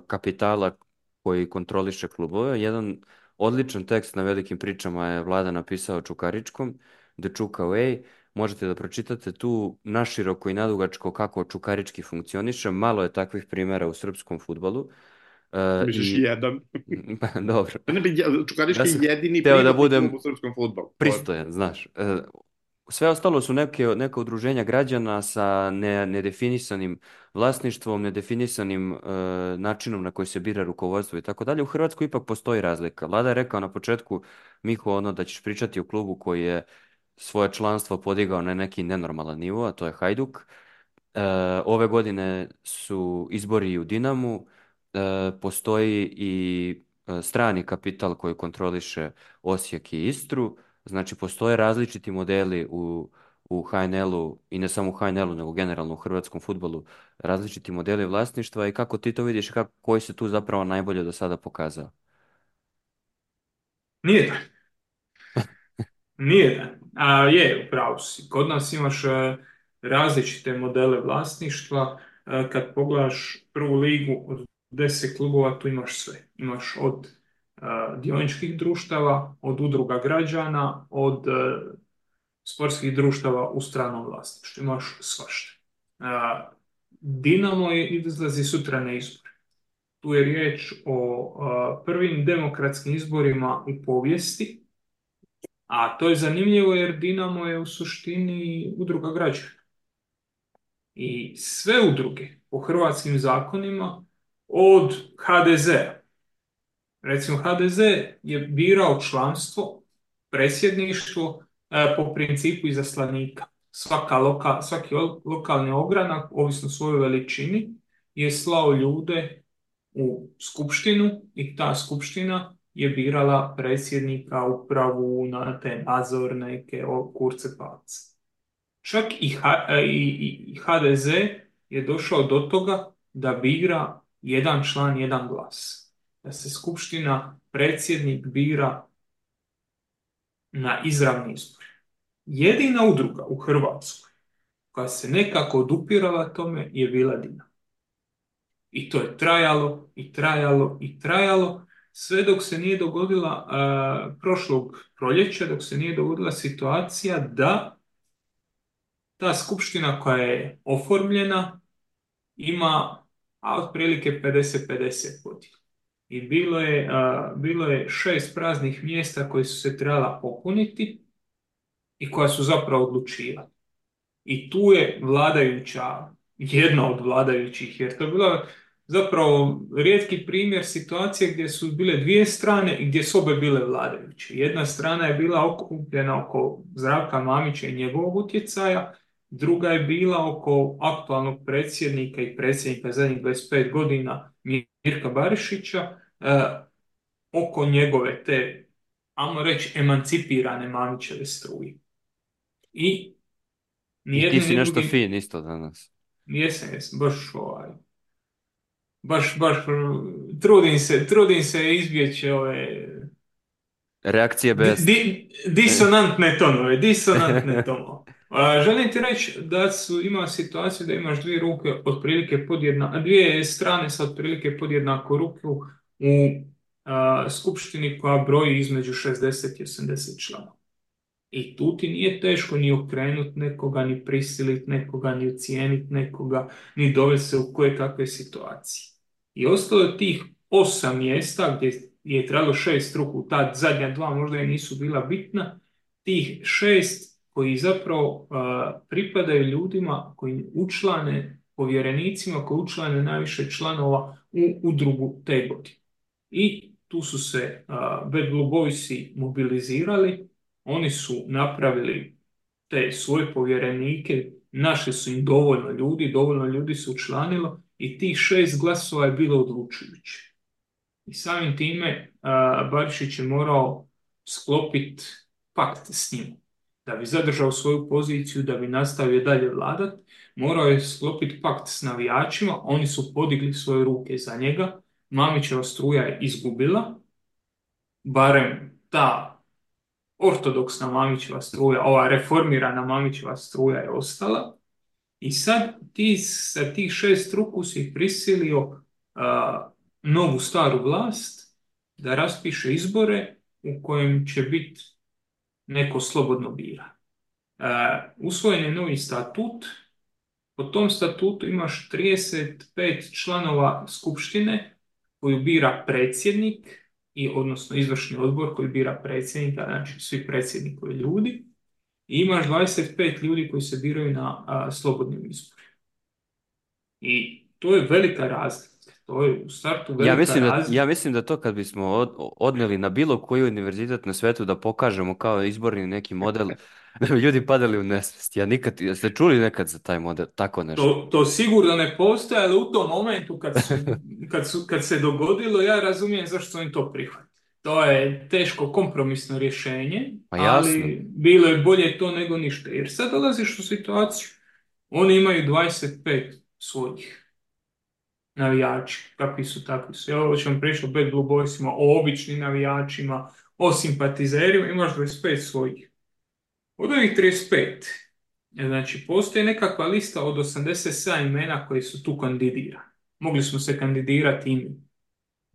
kapitala koji kontroliše klubove, jedan odličan tekst na velikim pričama je Vlada napisao Čukaričkom, The Čuka Way. Možete da pročitate tu naširoko i nadugačko kako Čukarički funkcioniše. Malo je takvih primjera u srpskom fudbalu.
misliš
I
jedan?
dobro.
Ne, ne,
Ja
Čukariški je
sam
jedini
hteo da
privatni klub
budem
u srpskom fudbalu.
pristojan, znaš. Sve ostalo su neka udruženja građana sa nedefinisanim vlasništvom, nedefinisanim načinom na koji se bira rukovodstvo i tako dalje. U Hrvatskoj ipak postoji razlika. Vlada je rekao na početku, Miho, ono da ćeš pričati o klubu koji je svoje članstvo podigao na neki nenormalan nivo, a to je Hajduk. Ove godine su izbori u Dinamu, postoji i strani kapital koji kontroliše Osijek i Istru, znači postoje različiti modeli u HNL-u i ne samo u HNL-u nego generalno u hrvatskom fudbalu, različiti modeli vlasništva i kako ti to vidiš, koji se tu zapravo najbolje do sada pokazao?
Nije da. Nije da. A je, upravo si. Kod nas imaš različite modele vlasništva. Kad pogledaš prvu ligu od 10 klubova, tu imaš sve. Imaš od dioničkih društava, od udruga građana, od sportskih društava u stranom vlasništvu. Imaš svašta. Dinamo izlazi sutra na izbore. Tu je riječ o prvim demokratskim izborima u povijesti, a to je zanimljivo jer Dinamo je u suštini udruga građana. I sve udruge po hrvatskim zakonima od HDZ-a. Recimo HDZ je birao članstvo, predsjedništvo po principu izaslanika. Svaki lokalni ogranak, ovisno o svojoj veličini, je slao ljude u skupštinu i ta skupština je birala predsjednika, upravu, na te nadzor, neke kurce palce. Čak i HDZ je došao do toga da bira jedan član, jedan glas. Da se skupština, predsjednik bira na izravni izbor. Jedina udruga u Hrvatskoj koja se nekako odupirala tome je bila Dinamo. I to je trajalo i trajalo i trajalo sve dok se nije dogodila prošlog proljeća, dok se nije dogodila situacija da ta skupština koja je oformljena ima otprilike 50-50 godina. I bilo je 6 praznih mjesta koje su se trebala popuniti i koja su zapravo odlučivala. I tu je vladajuća, jedna od vladajućih, jer to je bila zapravo rijetki primjer situacije gdje su bile dvije strane i gdje su obe bile vladajuće. Jedna strana je bila okupljena oko Zdravka Mamića i njegovog utjecaja, druga je bila oko aktualnog predsjednika i predsjednika zadnjih 25 godina Mirka Barišića, oko njegove te, ajmo reći, emancipirane Mamićeve struje. I
I ti
nijedni
si
ni
nešto
drugi.
fin isto danas.
Jesam, baš, trudim se izbjeći ove
Reakcije besa.
disonantne tonove. Želim ti reći da ima situaciju da imaš dvije ruke otprilike dvije strane sa otprilike podjednako ruku u skupštini koja broji između 60 i 80 članova. I tu ti nije teško ni okrenuti nekoga, ni prisiliti nekoga, ni ocijeniti nekoga, ni dovesti se u koje kakve situacije. I ostalo je tih 8 mjesta gdje je trebalo 6 ruku, ta zadnja 2 možda i nisu bila bitna, tih 6 koji zapravo pripadaju ljudima koji učlane, povjerenicima koji učlane najviše članova u udrugu te godine. I tu su se Bad Blue Boysi mobilizirali. Oni su napravili te svoje povjerenike, našli su im dovoljno ljudi su učlanilo i tih 6 glasova je bilo odlučujuće. I samim time Barišić je morao sklopiti pakt s njim. Da bi zadržao svoju poziciju, da bi nastavio dalje vladat, morao je sklopiti pakt s navijačima, oni su podigli svoje ruke za njega, Mamićeva struja je izgubila, barem ta ortodoksna Mamićeva struja, ova reformirana Mamićeva struja je ostala. I sad sa tih 6 ruku si prisilio novu staru vlast da raspiše izbore u kojem će biti neko slobodno bira. Usvojen je novi statut. Po tom statutu imaš 35 članova skupštine koju bira predsjednik, odnosno izvršni odbor koji bira predsjednika, znači svi predsjednikovi ljudi, i imaš 25 ljudi koji se biraju na slobodnim izborima. I to je velika razlika. To je u startu velika razlika.
Ja mislim da to kad bismo odnijeli na bilo koji univerzitet na svijetu da pokažemo kao izborni neki model, ljudi padali u nesvijest. Jeste čuli nekad za taj model, tako nešto?
To sigurno ne postoji, ali u tom momentu kad se dogodilo, ja razumijem zašto oni to prihvatili. To je teško kompromisno rješenje,
Pa jasno.
ali bilo je bolje to nego ništa. Jer sad dolaziš u situaciju, oni imaju 25 svojih navijači, kakvi su, takvi su. Ja ću vam pričati o Bad Blue Boysima, o običnim navijačima, o simpatizerima, imaš 25 svojih. Od ovih 35, znači postoji nekakva lista od 87 imena koji su tu kandidirani. Mogli smo se kandidirati i mi.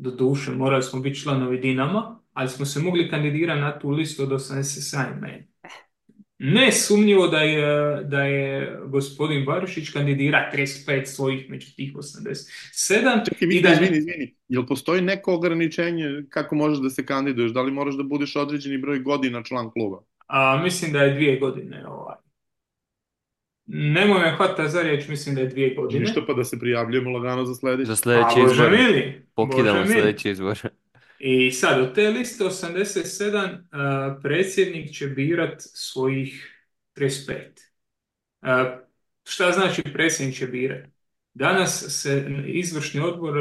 Doduše, morali smo biti članovi Dinama, ali smo se mogli kandidirati na tu listu od 87 imena. Ne sumnjivo da je gospodin Barišić kandidira 35 svojih među tih 87.
Čekaj, izvini. Jel postoji neko ograničenje kako možeš da se kandiduješ? Da li moraš da budeš određeni broj godina član kluba?
Mislim da je 2 godine. Nemoj me hvata za riječ, mislim da je 2 godine.
Ništa, pa da se prijavljujemo lagano za sljedeće.
Za sljedeće izbore.
Bože mili.
Pokidamo sljedeće izbore.
I sad, od te liste 87 predsjednik će birat svojih 35. Šta znači predsjednik će birat? Danas se izvršni odbor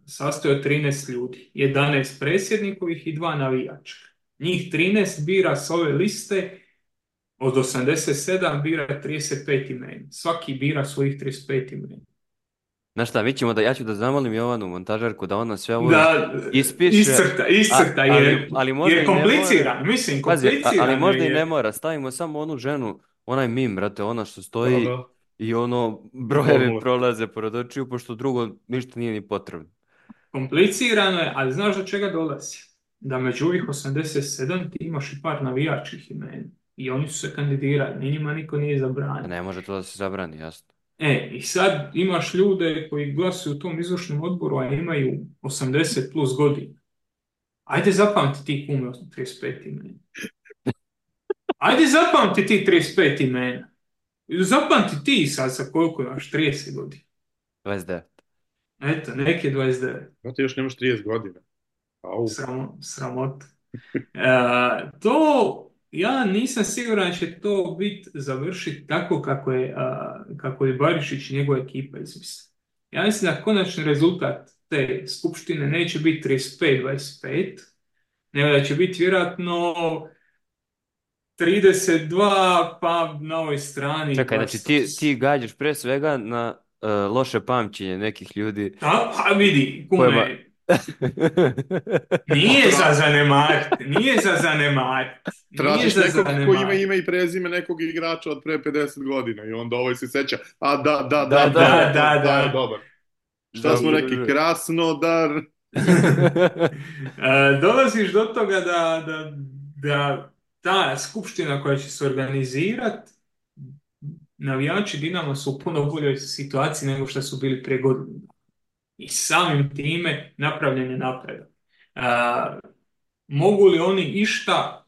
sastoji od 13 ljudi. 11 predsjednikovih i 2 navijača. Njih 13 bira s ove liste, od 87 bira 35 imena. Svaki bira svojih 35 imena.
Znaš šta, ja ću da zamolim Jovanu montažarku da ona sve ovo ispiše.
Iscrta, jer kompliciran,
kompliciran. Ali možda i ne mora, stavimo samo onu ženu, onaj mim, brate, ona što stoji i ono, brojevi
Formule.
prolaze pored očiju, pošto drugo ništa nije ni potrebno.
Komplicirano je, ali znaš do čega dolazi? Da među ovih 87 ti imaš i par navijačkih imena. I oni su se kandidirali, ni njima niko nije
A
zabranio.
ne može to da se zabrani, jasno.
I sad imaš ljude koji glasuju u tom izvršnom odboru, a imaju 80 plus godina. Ajde zapamti ti kume 35 imena. Ajde zapamti ti 35 imena. Zapamti ti sad sa koliko imaš 30 godina.
29.
Eto, neki 29.
Znate, još nemaš 30 godina. Au.
Sramota. To, ja nisam siguran da će to biti završiti tako kako je Barišić i njegova ekipa izmislila. Ja mislim da konačni rezultat te skupštine neće biti 35-25, nego da će biti vjerojatno 32, pa na ovoj strani
Čekaj, znači ti
28.
gađaš pre svega na loše pamćenje nekih ljudi
Pa vidi,
kojima...
kume, nije za zanemariti, nije za zanemariti, nije
Tražiš
za
nekog ko ima
zanemariti.
ime i prezime nekog igrača od pre 50 godina i onda ovaj se seća, a da,
Da,
to,
da.
da je dobar. Šta smo
Dobro.
rekli? Krasnodar.
Dolaziš do toga da ta skupština koja će se organizirati, navijači Dinama su u puno boljoj situaciji nego što su bili prije godinu. I samim time napravljen je napredak. Mogu li oni išta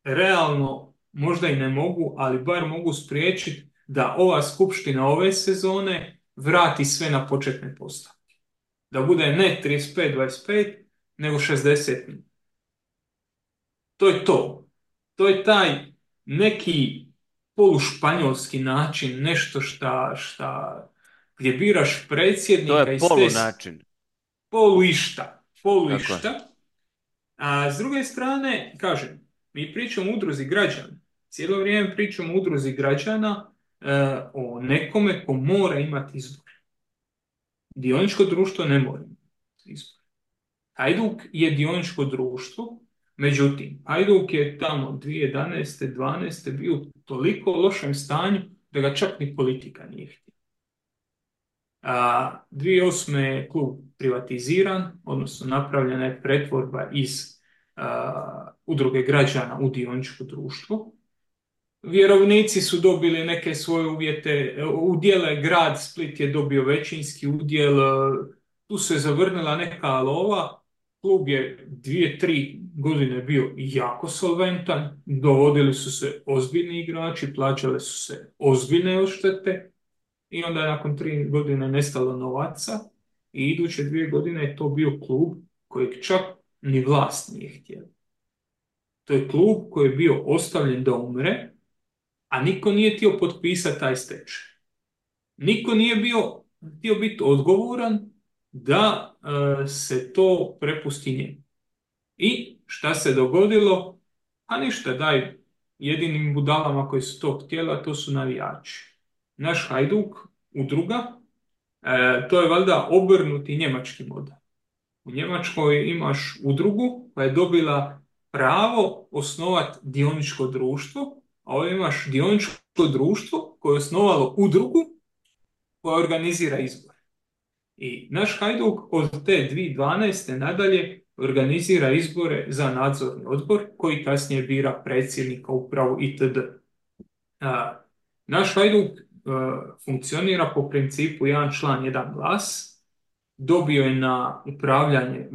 realno, možda i ne mogu, ali bar mogu spriječiti da ova skupština ove sezone vrati sve na početne postavke. Da bude ne 35-25, nego 60. To je to. To je taj neki polušpanjolski način, nešto gdje biraš
To
predsjednika
je
iz te
polunačin.
polu
Tako je.
išta. A s druge strane, kažem, mi pričamo o udruzi građana. Cijelo vrijeme pričamo o udruzi građana, o nekome ko mora imati izbor. Dioničko društvo ne mora imati izbor. Hajduk je dioničko društvo, međutim, Hajduk je tamo 2011. 12. bio u toliko lošem stanju da ga čak ni politika nije htjela. 2008. je klub privatiziran, odnosno napravljena je pretvorba iz udruge građana u dioničko društvo. Vjerovnici su dobili neke svoje uvjete, udjele, grad Split je dobio većinski udjel, tu se zavrnila neka lova, klub je 2-3 godine bio jako solventan, dovodili su se ozbiljni igrači, plaćale su se ozbiljne odštete i onda je nakon 3 godine nestalo novaca i iduće 2 godine je to bio klub kojeg čak ni vlast nije htjela. To je klub koji je bio ostavljen da umre, a niko nije htio potpisati taj stečaj. Niko nije htio biti odgovoran da se to prepusti njemu. I šta se dogodilo? A ništa, daj jedinim budalama koji su to htjeli, a to su navijači. Naš Hajduk, udruga, to je valjda obrnuti njemački model. U Njemačkoj imaš udrugu koja je dobila pravo osnovati dioničko društvo, a ovdje imaš dioničko društvo koje je osnovalo udrugu koja organizira izbor. I naš Hajduk od te 2012. nadalje organizira izbore za nadzorni odbor koji kasnije bira predsjednika, upravu itd. Naš Hajduk funkcionira po principu jedan član, jedan glas. Dobio je na upravljanje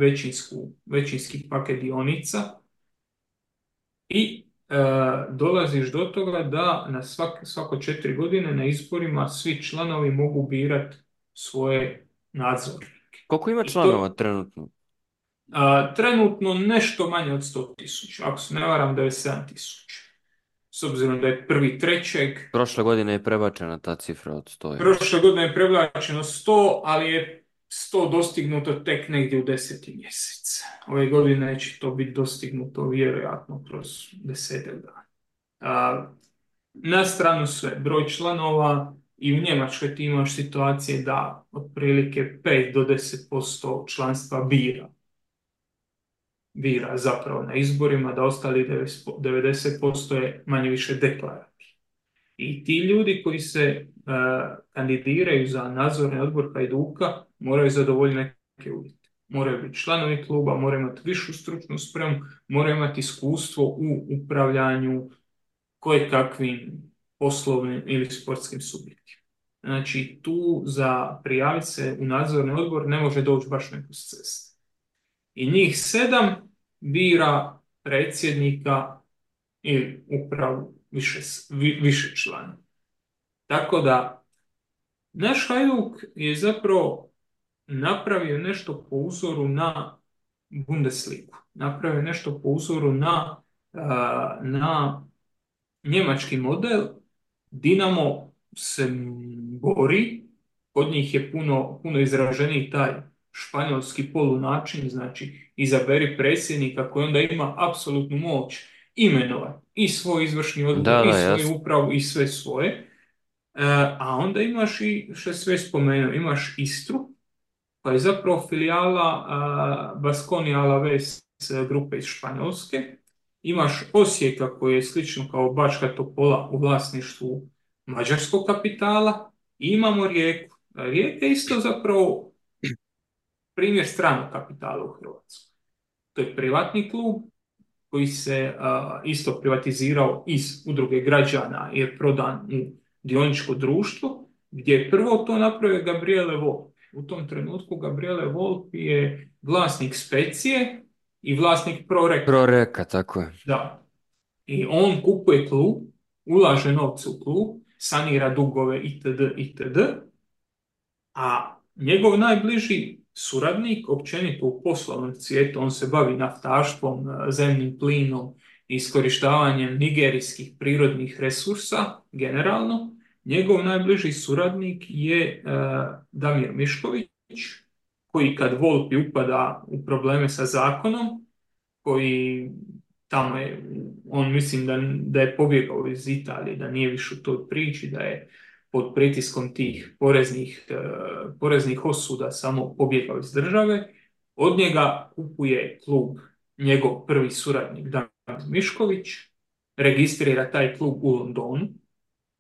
većinski paket dionica i dolaziš do toga da na svako 4 godine na izborima svi članovi mogu birati svoje nadzornike.
Koliko ima članova trenutno?
Trenutno nešto manje od 100.000, ako se ne varam 97.000. S obzirom da je 1.3.
Prošle godine je prebačena ta cifra od 100.
Prošle godine je prebačeno 100, ali je 100 dostignuto tek negdje u 10. mjesec. Ove godine će to biti dostignuto vjerojatno kroz 10 dana. Na stranu sve, broj članova i u Njemačkoj ti imaš situacije da otprilike 5 do 10% članstva bira zapravo na izborima, da ostali 90% je manje više deklarativno. I ti ljudi koji se kandidiraju za nadzorni odbor Hajduka moraju zadovoljiti neke uvjete. Moraju biti članovi kluba, moraju imati višu stručnu spremu, moraju imati iskustvo u upravljanju kojekakvim poslovnim ili sportskim subjektima. Znači, tu za prijaviti se u nadzorni odbor ne može doći baš neko s ceste. I njih 7 bira predsjednika ili upravu više člana. Tako da, naš Hajduk je zapravo napravio nešto po uzoru na Bundesligu. Napravio nešto po uzoru na njemački model. Dinamo se bori, kod njih je puno izraženiji taj španjolski polunačin, znači izaberi predsjednika koji onda ima apsolutnu moć imenovati i svoj izvršni odbor,
Da,
i
da,
svoju
jasno.
upravu, i sve svoje. A onda imaš i, što je sve spomenuo, imaš Istru, koja je zapravo filijala Baskonia Alaves grupe iz Španjolske. Imaš Osijeka koji je slično kao Bačka Topola u vlasništvu mađarskog kapitala. I imamo Rijeku. Rijeka je isto zapravo primjer stranog kapitala u Hrvatskoj. To je privatni klub koji se isto privatizirao iz udruge građana i je prodan u dioničko društvo, gdje je prvo to napravio Gabriele Volpi. U tom trenutku Gabriele Volpi je vlasnik Specije i vlasnik Proreka.
Proreka, tako je.
Da. I on kupuje klub, ulaže novce u klub, sanira dugove itd. itd. A njegov najbliži suradnik, općenito u poslovnom svijetu, on se bavi naftaštvom, zemnim plinom, iskorištavanjem nigerijskih prirodnih resursa generalno. Njegov najbliži suradnik je Damir Mišković, koji kad Volpi upada u probleme sa zakonom, koji tamo je, on mislim da je pobjegao iz Italije, da nije više u toj priči, da je pod pritiskom tih poreznih osuda samo pobjegao iz države. Od njega kupuje klub njegov prvi suradnik Damir Mišković, registrira taj klub u Londonu,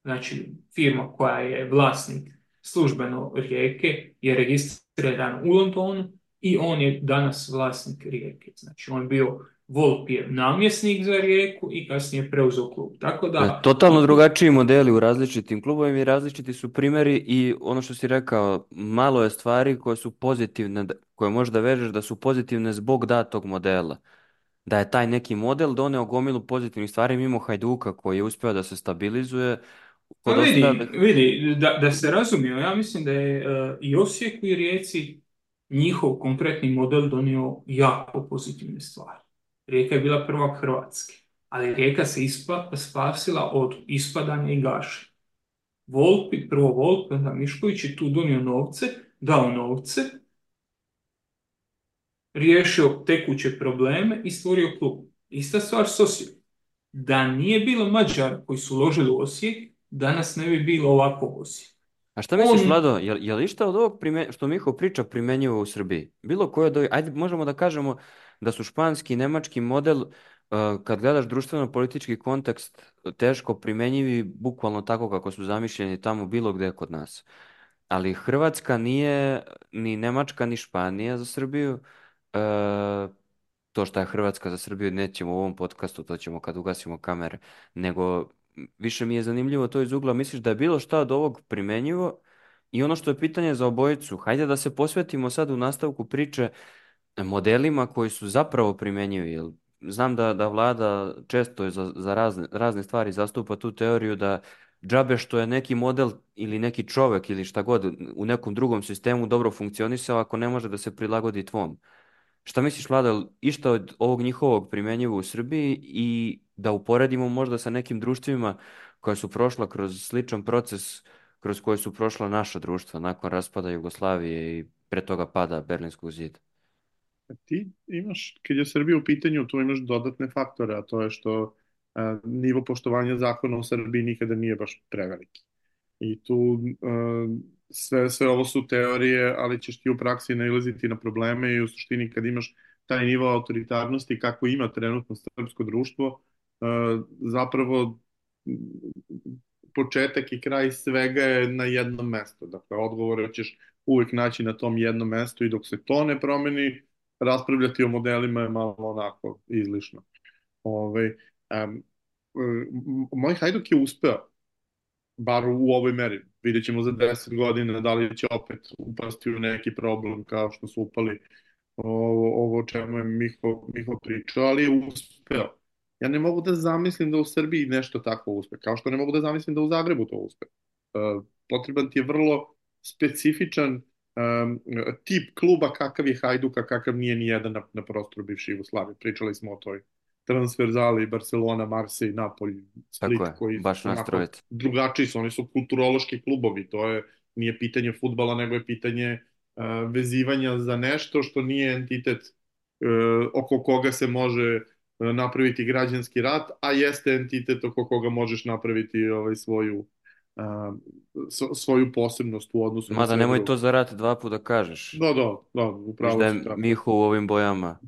znači firma koja je vlasnik službeno Rijeke je registriran u Londonu i on je danas vlasnik Rijeke. Znači on je bio Volpijev namjesnik za Rijeku i kasnije preuzeo klub. Tako da
Totalno drugačiji modeli u različitim klubovima i različiti su primjeri i ono što si rekao, malo je stvari koje su pozitivne, koje možda vežeš da su pozitivne zbog datog modela. Da je taj neki model doneo gomilu pozitivnih stvari mimo Hajduka koji je uspio da se stabilizuje
pa
kod ostalih.
vidi, da se razumije, ja mislim da je i Osijeku i Rijeci njihov konkretni model donio jako pozitivne stvari. Rijeka je bila prvak Hrvatske, ali Rijeka se spasila od ispadanja i gašenja. Prvo Volpi, onda Mišković je tu donio novce, dao novce, riješio tekuće probleme i stvorio klub. Ista stvar s Osijekom. Da nije bilo Mađara koji su uložili u Osijek, danas ne bi bilo ovako Osijek.
A šta misliš, Vlado, je li išta od ovog što Miho priča primjenjivo u Srbiji? Bilo koje od ovih, ajde možemo da kažemo da su španski i nemački model, kad gledaš društveno-politički kontekst, teško primjenjivi bukvalno tako kako su zamišljeni tamo bilo gdje kod nas. Ali Hrvatska nije ni Nemačka ni Španija za Srbiju. E, To što je Hrvatska za Srbiju nećemo u ovom podcastu, to ćemo kad ugasimo kamere, nego više mi je zanimljivo to iz ugla, misliš da je bilo šta od ovog primjenjivo i ono što je pitanje za obojicu, hajde da se posvetimo sad u nastavku priče modelima koji su zapravo primjenjivi. Jer znam da vlada često je za razne stvari zastupa tu teoriju da džabe što je neki model ili neki čovjek ili šta god u nekom drugom sistemu dobro funkcionisao ako ne može da se prilagodi tvom. Šta misliš, Vlada, jel išta od ovog njihovog primjenjivo u Srbiji i da uporedimo možda sa nekim društvima koja su prošla kroz sličan proces kroz koje su prošla naša društva nakon raspada Jugoslavije i pre toga pada Berlinskog zida?
Ti imaš, kad je Srbija u pitanju, tu imaš dodatne faktore, a to je što nivo poštovanja zakona u Srbiji nikada nije baš preveliki. I tu sve ovo su teorije, ali ćeš ti u praksi nailaziti na probleme i u suštini kad imaš taj nivo autoritarnosti kako ima trenutno srpsko društvo, zapravo početak i kraj svega je na jednom mestu. Dakle, odgovore ćeš uvijek naći na tom jednom mestu i dok se to ne promeni, raspravljati o modelima je malo onako izlišno. Ovaj, moj Hajduk je uspeo, bar u ovoj meri. Vidjet ćemo za 10 godina da li će opet upasti u neki problem kao što su upali ovo o čemu je Miho pričao, ali je uspeo. Ja ne mogu da zamislim da u Srbiji nešto tako uspe, kao što ne mogu da zamislim da u Zagrebu to uspe. Potreban ti je vrlo specifičan tip kluba kakav je Hajduka, kakav nije ni jedan na prostoru bivše Jugoslavije. Pričali smo o toj transverzali Barcelona, Marseille, Napolj, Split,
Tako je,
koji
baš nas
onako
trojica.
drugačiji su, oni su kulturološki klubovi, to je nije pitanje fudbala, nego je pitanje vezivanja za nešto što nije entitet oko koga se može napraviti građanski rat, a jeste entitet oko koga možeš napraviti svoju posebnost u odnosu na
Mada
sve
nemoj
drugo.
to za rat dva puta kažeš.
Da, da, da,
Viš
upravo
da
si
je
tako.
Miho u ovim bojama.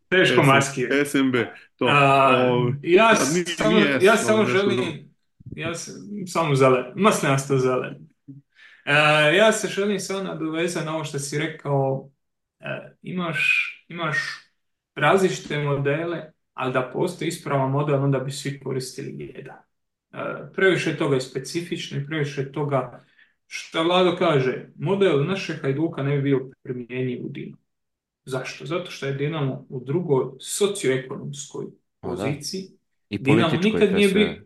Teško maskira.
SMB, to.
A, ja
Da,
samo,
nije
ja
S, ali
samo
nešto drugo.
želim, samo zelen, masnjasto zelen. Ja se želim samo nadovezati na ovo što si rekao, imaš različite modele, ali da postoji ispravan model, onda bi svi koristili jedan. Previše toga je specifično i previše toga što Vlado kaže, model našeg Hajduka ne bi bio primjenjiv u Dinamo. Zašto? Zato što je Dinamo u drugoj socioekonomskoj
O da.
poziciji.
I
Dinamo
političkoj
nikad
pre
nije
svega.
bio,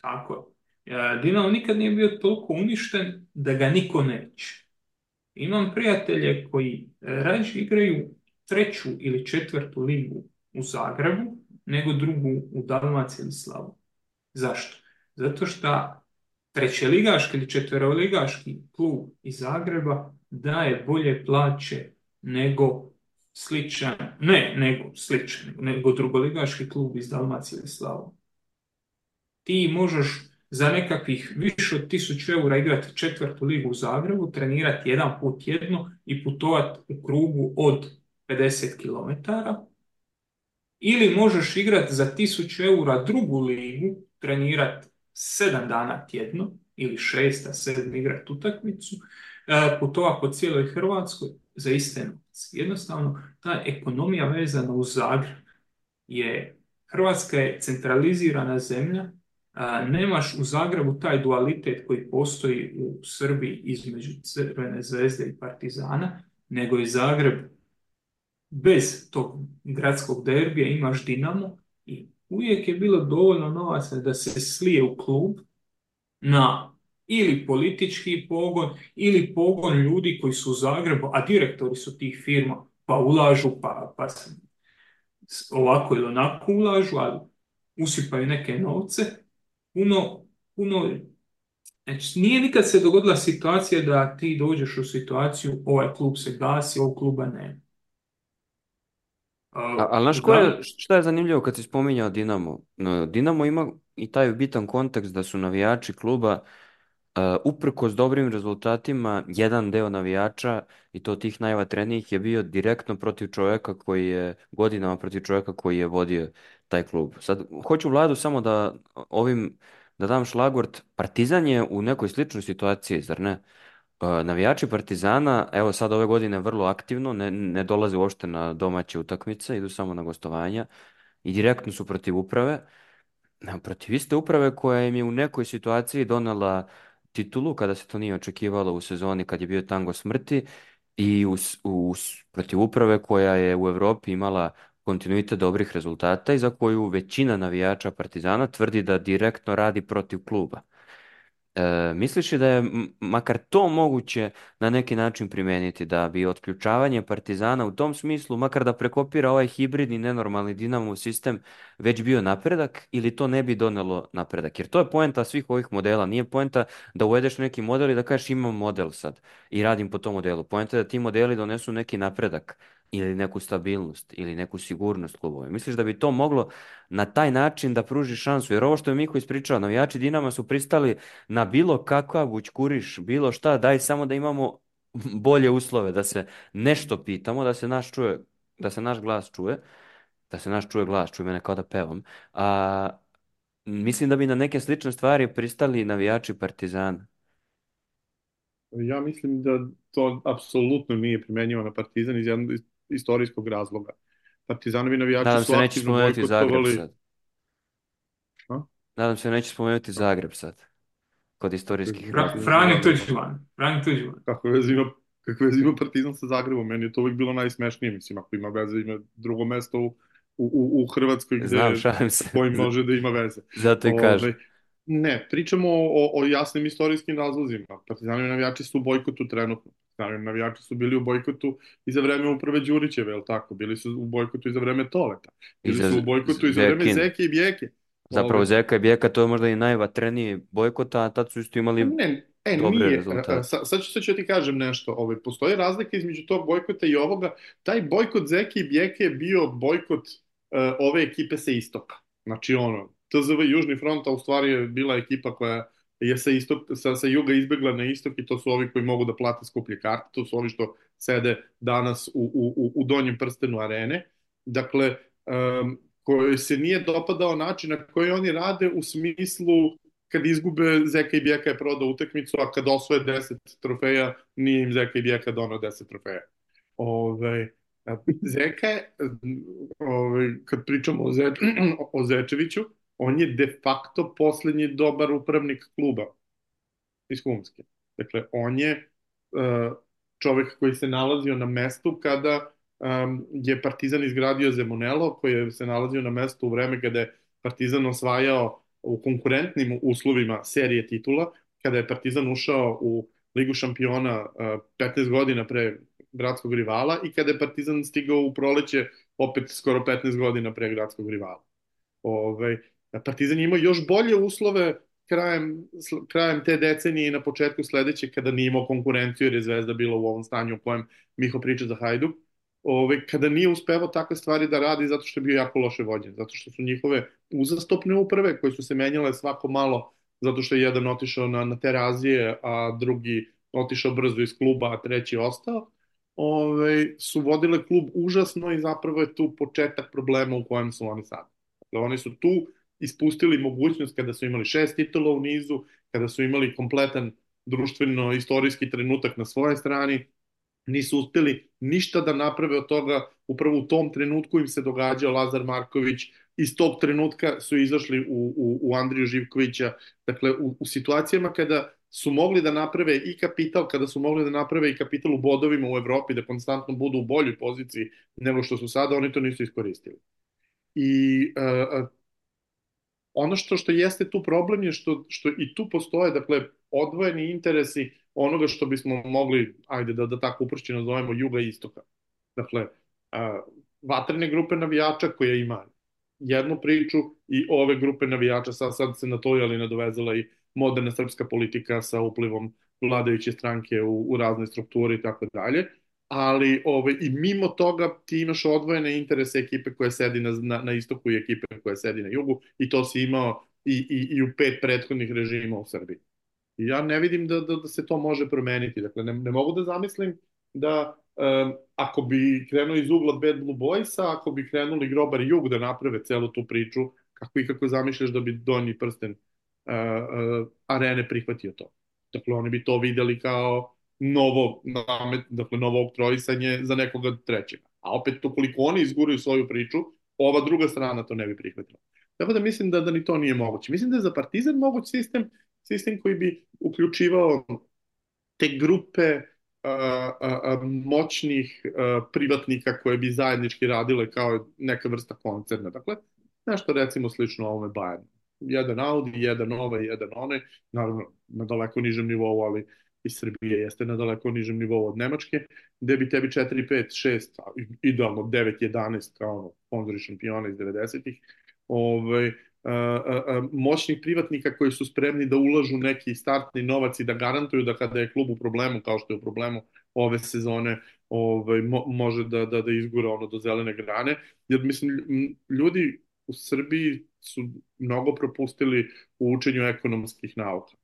tako je. Dinamo nikad nije bio toliko uništen da ga niko neće. Imam prijatelje koji rađe igraju treću ili četvrtu ligu u Zagrebu nego drugu u Dalmaciji ili Slavoniji. Zašto? Zato što trećeligaški ili četveroligaški klub iz Zagreba daje bolje plaće nego nego drugoligaški klub iz Dalmacije ili Slavonije. Ti možeš za nekakvih više od 1000 € igrati četvrtu ligu u Zagrebu, trenirati jedan put tjedno i putovati u krugu od 50 kilometara. Ili možeš igrati za 1000 € drugu ligu, trenirati 7 dana tjedno ili 6, a 7 igrati utakmicu, putovati po cijeloj Hrvatskoj za iste novce. Jednostavno, ta ekonomija vezana uz Zagreb Hrvatska je centralizirana zemlja, nemaš u Zagrebu taj dualitet koji postoji u Srbiji između Crvene zvezde i Partizana, nego je Zagreb bez tog gradskog derbija imaš Dinamo i uvijek je bilo dovoljno novaca da se slije u klub na ili politički pogon ili pogon ljudi koji su u Zagrebu, a direktori su tih firma, pa ulažu, pa ovako ili onako ulažu, ali usipaju neke novce. Puno, znači, nije nikad se dogodila situacija da ti dođeš u situaciju ovaj klub se gasi, ovog kluba nema.
Ali znaš
Da,
šta je zanimljivo kad si spominjao Dinamo? No, Dinamo ima i taj bitan kontekst da su navijači kluba uprkos dobrim rezultatima, jedan deo navijača i to tih najvatrenijih je bio direktno protiv čovjeka koji je, godinama protiv čovjeka koji je vodio taj klub. Sad, hoću Vladu samo da dam šlagvort. Partizan je u nekoj sličnoj situaciji, zar ne? Navijači Partizana, evo sad ove godine vrlo aktivno, ne dolaze uopšte na domaće utakmice, idu samo na gostovanja i direktno su protiv uprave. Protiv iste uprave koja im je u nekoj situaciji donela titulu kada se to nije očekivalo u sezoni kad je bio tango smrti i protiv uprave koja je u Europi imala kontinuitet dobrih rezultata i za koju većina navijača Partizana tvrdi da direktno radi protiv kluba. Misliš li da je makar to moguće na neki način primijeniti, da bi otključavanje Partizana u tom smislu, makar da prekopira ovaj hibridni nenormalni Dinamov sistem, već bio napredak ili to ne bi donelo napredak? Jer to je poenta svih ovih modela. Nije poenta da uvedeš neki model i da kažeš imam model sad i radim po tom modelu. Poenta je da ti modeli donesu neki napredak ili neku stabilnost ili neku sigurnost klubove. Misliš da bi to moglo na taj način da pruži šansu? Jer ovo što je Miko ispričao, navijači Dinama su pristali na bilo kakav bućkuriš, bilo šta, daj samo da imamo bolje uslove, da se nešto pitamo, da se naš čuje, da se naš glas čuje, da se naš čuje glas, čuje mene kao da pevam. Mislim da bi na neke slične stvari pristali navijači Partizana.
Ja mislim da to apsolutno nije primenjivo na Partizan iz jednog istorijskog razloga. Partizanovi navijači
Nadam
su
se neće
aktivno
spomenuti Zagreb
bojkotovali.
sad.
A?
Nadam se neće spomenuti
A?
Zagreb sad, kod istorijskih razloga.
Frani Tuđman, Frani Tuđman.
Kako veze ima, kakve veze ima Partizan sa Zagrebom? Meni je to uvijek bilo najsmešnije. Mislim, ako ima veze, ima drugo mesto u Hrvatskoj
Znam,
gde,
šalim
sa
se.
kojim može da ima veze.
Zato i kažem.
Ove, ne, pričamo o jasnim istorijskim razlozima. Partizanovi navijači su u bojkotu trenutno. Partizanovi navijači su bili u bojkotu i za vreme uprave Đurićeve, je li tako? Bili su u bojkotu i za vreme Toleta.
I
Bili
za
su u bojkotu i za vreme
Zekin.
Zeke i Bijeke.
Zapravo Zeka i Bijeka to je možda i najvatreniji bojkot, a tad su isto imali
Ne,
dobre
nije.
rezultate.
Sad ću ti kažem nešto. Postoji razlika između tog bojkota i ovoga. Taj bojkot Zeki i Bijeke je bio bojkot ove ekipe sa istoka. Znači ono, TZV Južni front, a u stvari je bila ekipa koja je sa juga izbegla na istok i to su ovi koji mogu da plate skuplje karte, to su ovi što sede danas u donjem prstenu arene. Dakle, kojoj se nije dopadao način na koji oni rade u smislu kad izgube Zeka i Bijeka je prodao utakmicu, a kad osvoje 10 trofeja, nije im Zeka i Bijeka donao 10 trofeja. Ove, Zeka je, kad pričamo o Zečeviću, on je de facto poslednji dobar upravnik kluba iz Humske. Dakle, on je čovek koji se nalazio na mestu kada je Partizan izgradio Zemunelo, koji je se nalazio na mestu u vreme kada je Partizan osvajao u konkurentnim uslovima serije titula, kada je Partizan ušao u Ligu šampiona 15 godina pre gradskog rivala i kada je Partizan stigao u proleće opet skoro 15 godina pre gradskog rivala. Ovaj, Partizan je imao još bolje uslove krajem te decenije i na početku sledeće kada nije imao konkurenciju jer je Zvezda bila u ovom stanju u kojem Miho priča za Hajduk. Kada nije uspevao takve stvari da radi zato što je bio jako loše vođen, zato što su njihove uzastopne uprave koje su se menjale svako malo zato što je jedan otišao na terazije, a drugi otišao brzo iz kluba, a treći ostao, su vodile klub užasno i zapravo je tu početak problema u kojem su oni sad. Dakle, oni su tu ispustili mogućnost kada su imali 6 titula u nizu, kada su imali kompletan društveno-istorijski trenutak na svojoj strani, nisu uspeli ništa da naprave od toga, upravo u tom trenutku im se događao Lazar Marković, iz tog trenutka su izašli u Andriju Živkovića, dakle u situacijama kada su mogli da naprave i kapital, kada su mogli da naprave i kapital u bodovima u Evropi, da konstantno budu u boljoj poziciji nego što su sada, oni to nisu iskoristili. I ono što jeste tu problem je što i tu postoje, dakle, odvojeni interesi onoga što bismo mogli, ajde da tako upršćeno zovemo, juga i istoka. Dakle, vatrene grupe navijača koja ima jednu priču i ove grupe navijača, sad se na to ali nadovezala i moderna srpska politika sa uplivom vladajuće stranke u raznoj strukturi i tako dalje, ali i mimo toga ti imaš odvojene interese ekipe koja sedi na istoku i ekipe koja sedi na jugu i to si imao i u 5 prethodnih režima u Srbiji. I ja ne vidim da se to može promeniti. Dakle, ne mogu da zamislim da ako bi krenuo iz ugla Bad Blue Boysa, ako bi krenuli Grobar i Jug da naprave celu tu priču, kako zamišljaš da bi donji prsten arene prihvatio to? Dakle, oni bi to videli kao novo oktroisanje za nekoga trećega. A opet, ukoliko oni izguraju svoju priču, ova druga strana to ne bi prihvatila. Tako da mislim da ni to nije moguće. Mislim da je za Partizan moguć sistem koji bi uključivao te grupe moćnih privatnika koje bi zajednički radile kao neka vrsta koncerna. Dakle, nešto recimo slično ovome Bayernu. Jedan Audi, jedan ovaj, jedan onaj, naravno na daleko nižem nivou, ali iz Srbije jeste na daleko nižem nivou od Nemačke, gde bi tebi 4, 5, 6, idealno 9, 11, kao ono, sponzori šampiona iz 90-ih, moćnih privatnika koji su spremni da ulažu neki startni novac i da garantuju da kada je klub u problemu, kao što je u problemu ove sezone, može da izgura ono do zelene grane. Jer mislim, ljudi u Srbiji su mnogo propustili u učenju ekonomskih nauka.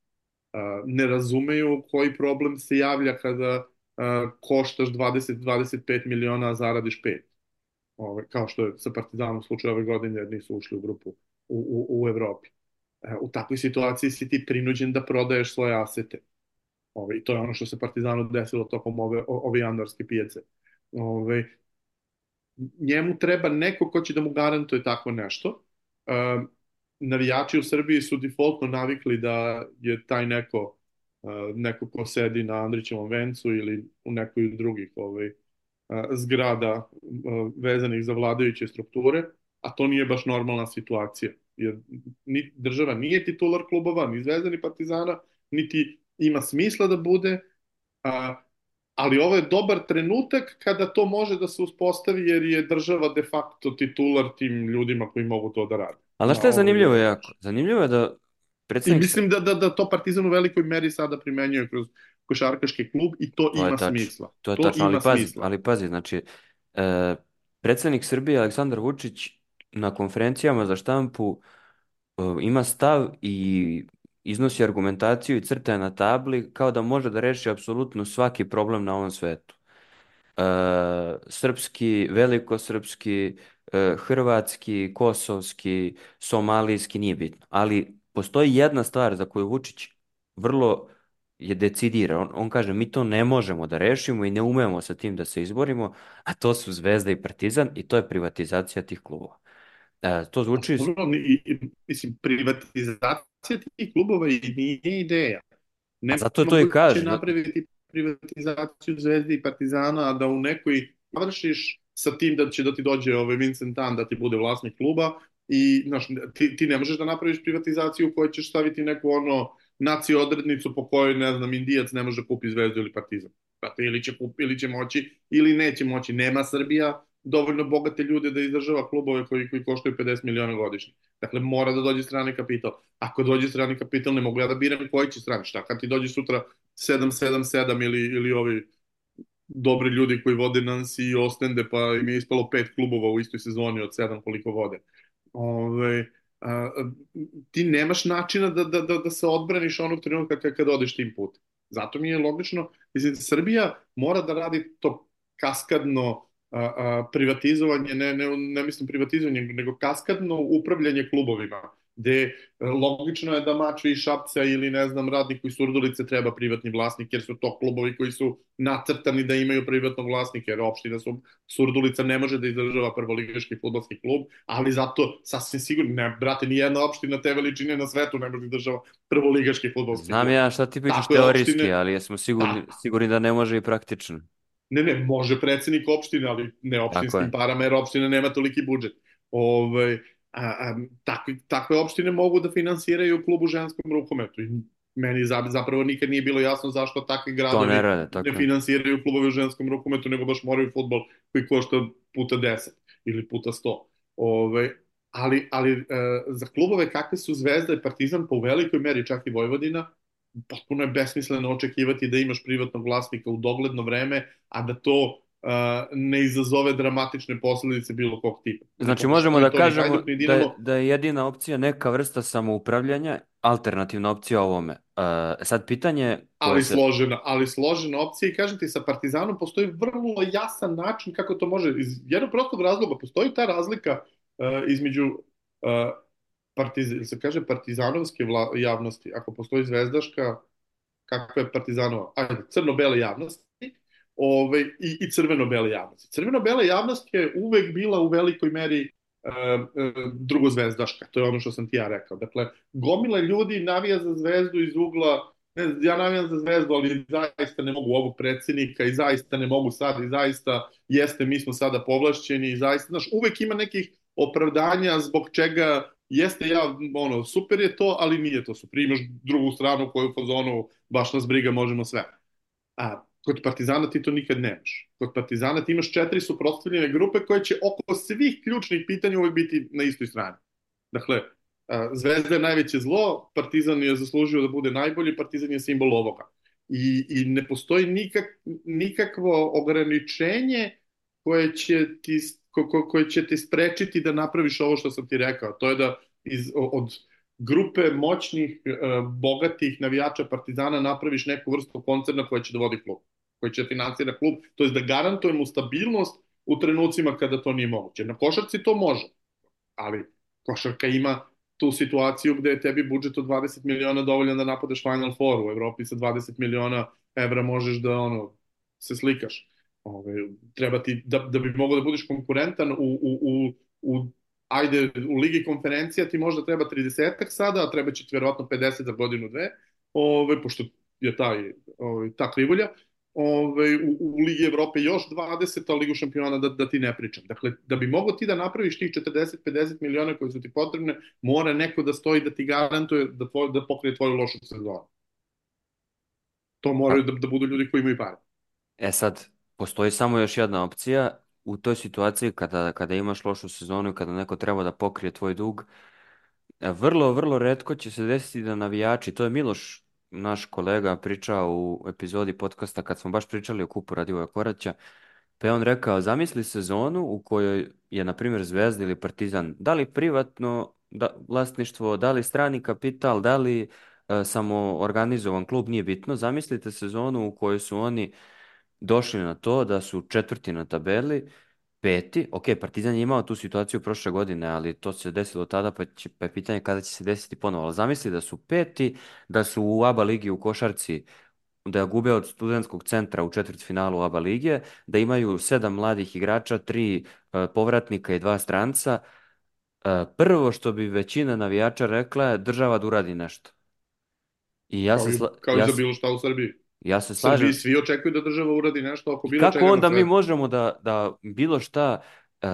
Ne razumeju koji problem se javlja kada koštaš 20-25 miliona, a zaradiš 5. Kao što je sa Partizanom slučaj ove godine jer nisu ušli u grupu u Evropi. U takvoj situaciji si ti prinuđen da prodaješ svoje asete. I to je ono što se Partizanu desilo tokom ove januarske pijace. Ove, Njemu treba neko ko će da mu garantuje tako nešto. Navijači u Srbiji su defaultno navikli da je taj neko ko sedi na Andrićevom vencu ili u nekoj od drugih zgrada vezanih za vladajuće strukture, a to nije baš normalna situacija. Jer ni država nije titular klubova, ni Zvezda, ni Partizana, niti ima smisla da bude, a, ali ovo je dobar trenutak kada to može da se uspostavi jer je država de facto titular tim ljudima koji mogu to da rade.
Ali
Na
znaš šta je
ovaj ili
zanimljivo
ovaj
jako?
način.
Zanimljivo je da
I
predsjednik
mislim da to Partizan u velikoj meri sada primenjuje kroz košarkaški klub i to
To je
ima
tačno.
smisla.
To je
To
tačno,
ima smisla.
ali pazi, znači, e, predsjednik Srbije Aleksandar Vučić na konferencijama za štampu ima stav i iznosi argumentaciju i crta je na tabli kao da može da reši apsolutno svaki problem na ovom svetu. Srpski, velikosrpski, hrvatski, kosovski, somalijski, nije bitno. Ali postoji jedna stvar za koju Vučić vrlo je decidiran. On kaže mi to ne možemo da rešimo i ne umemo sa tim da se izborimo, a to su Zvezda i Partizan i to je privatizacija tih klubova. To zvuči,
Dobro, mislim, privatizacija tih klubova i nije ideja.
a zato to i
Nemoguće
kaže.
je napraviti privatizaciju Zvezde i Partizana, a da u nekoj završiš sa tim da će da ti dođe Vincent Tan da ti bude vlasnik kluba i znaš, ti ne možeš da napraviš privatizaciju u kojoj ćeš staviti neku naciju odrednicu po kojoj, ne znam, Indijac ne može kupi Zvezdu ili Partizan. Dakle, ili će moći ili neće moći. Nema Srbija dovoljno bogate ljude da izdržava klubove koji koštaju 50 miliona godišnje. Dakle, mora da dođe strani kapital. Ako dođe strani kapital, ne mogu ja da biram koji će strani. Šta kad ti dođe sutra 777 ili ovi dobri ljudi koji vode Nancy i Ostende, pa im je ispalo 5 klubova u istoj sezoni od 7 koliko vode. Ove, a, Ti nemaš načina da se odbraniš onog trenutka kad odeš tim putem. Zato mi je logično, mislim, Srbija mora da radi to kaskadno privatizovanje, ne mislim privatizovanje, nego kaskadno upravljanje klubovima, gde logično je da Mačvi i Šapca ili ne znam radniku iz Surdulice treba privatni vlasnik, jer su to klubovi koji su nacrtani da imaju privatnog vlasnika, jer opština Surdulica ne može da izdržava prvoligaški fudbalski klub, ali zato sasvim sigurno, ne, brate, ni jedna opština te veličine na svetu ne može da izdržava prvoligaški fudbalski
Znam
klub.
ja šta ti pričaš
Tako je
teorijski,
opštine,
ali jesmo sigurni,
tako,
sigurni da ne može i praktično.
ne, može predsednik opštine, ali ne
Tako
opštinskim
je.
parama, jer opština nema toliki budžet. Ove, takve opštine mogu da finansiraju klub u ženskom rukometu. I meni zapravo nikad nije bilo jasno zašto takvi
To ne
gradovi
rade,
ne
tako je.
finansiraju klubove u ženskom rukometu, nego baš moraju fudbal koji košta puta 10 ili puta 100. Ali za klubove kakve su Zvezda i Partizan, po velikoj meri čak i Vojvodina, potpuno je besmisleno očekivati da imaš privatnog vlasnika u dogledno vreme, a da to ne izazove dramatične posledice bilo kog tipa. Ne
Znači možemo da
postoji to ni
kažemo
Hajduk ni Dinamo,
da je jedina opcija neka vrsta samoupravljanja, alternativna opcija ovome. Sad pitanje koje se...
ali složena opcija i kažem ti sa Partizanom postoji vrlo jasan način kako to može, iz jednog prostog razloga postoji ta razlika između ili se kaže partizanovske javnosti, ako postoji zvezdaška, kakva je Partizanova, ajde, crno-bele javnosti, i crveno-bele javnosti. Crveno-bela javnost je uvek bila u velikoj meri drugozvezdaška, to je ono što sam ti ja rekao. Dakle, gomila ljudi navija za Zvezdu iz ugla, ne, ja navijam za Zvezdu, ali zaista ne mogu ovog predsjednika i zaista ne mogu sad i zaista jeste, mi smo sada povlašćeni i zaista, znaš, uvek ima nekih opravdanja zbog čega jeste super je to, ali nije to super. Imaš drugu stranu koju u fazonu baš nas briga, možemo sve. Kod Partizana ti to nikad nemaš. Kod Partizana ti imaš 4 suprotstavljene grupe koje će oko svih ključnih pitanja uvek biti na istoj strani. Dakle, Zvezda je najveće zlo, Partizan je zaslužio da bude najbolji, Partizan je simbol ovoga. I ne postoji nikakvo ograničenje koje će ti sprečiti da napraviš ovo što sam ti rekao. To je da od grupe moćnih, bogatih navijača Partizana napraviš neku vrstu koncerna koja će da vodi klub, koji će finansira klub, to je da garantuje mu stabilnost u trenucima kada to nije moguće. Na košarci to može, ali košarka ima tu situaciju gde je tebi budžet od 20 miliona dovoljan da napadeš Final Four. U Evropi sa 20 miliona evra možeš da se slikaš. Treba ti, da bi mogao da budeš konkurentan u ajde, u Ligi konferencija ti možda treba 30 sada, a treba će ti verovatno 50 za godinu dve, pošto je ta krivulja. U Ligi Evrope još 20, a Ligu šampiona da ti ne pričam. Dakle, da bi mogo ti da napraviš tih 40-50 miliona koji su ti potrebne, mora neko da stoji da ti garantuje da pokrije tvoju lošu sezonu. To moraju da budu ljudi koji imaju pare.
E sad, postoji samo još jedna opcija u toj situaciji kada imaš lošu sezonu i kada neko treba da pokrije tvoj dug. Vrlo, vrlo retko će se desiti da navijači, to je Miloš, naš kolega, pričao u epizodi podcasta kad smo baš pričali o kupu Radivoja Koraća, pa je on rekao, zamisli sezonu u kojoj je, na primjer, Zvezda ili Partizan, da li privatno vlasništvo, da li strani kapital, da li samo organizovan klub, nije bitno. Zamislite sezonu u kojoj su oni došli na to da su četvrti na tabeli, peti. Ok, Partizan je imao tu situaciju prošle godine, ali to se desilo tada, pa je pitanje kada će se desiti ponovo. Ali zamisli da su peti, da su u ABA ligi u košarci, da gube od studentskog centra u četvrtfinalu ABA lige, da imaju 7 mladih igrača, 3 povratnika i 2 stranca. Prvo što bi većina navijača rekla je država da uradi nešto. I
Kao i za bilo šta u Srbiji.
ja se
U Srbiji
slažem.
svi očekuju da država uradi nešto oko
I
bilo
kako
čega na
onda mi
svetu.
možemo da bilo šta, e,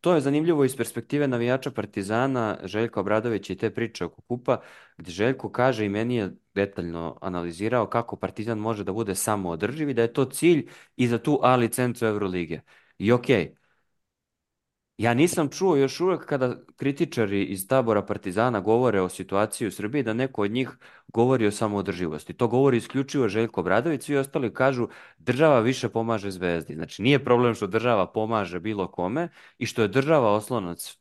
to je zanimljivo iz perspektive navijača Partizana, Željka Obradovića i te priče oko kupa, gdje Željko kaže i meni je detaljno analizirao kako Partizan može da bude samoodrživ i da je to cilj i za tu A licencu Eurolige. I okej, ja nisam čuo još uvijek kada kritičari iz tabora Partizana govore o situaciji u Srbiji da neko od njih govori o samoodrživosti. To govori isključivo Željko Obradović, svi ostali kažu država više pomaže Zvezdi. Znači nije problem što država pomaže bilo kome i što je država oslonac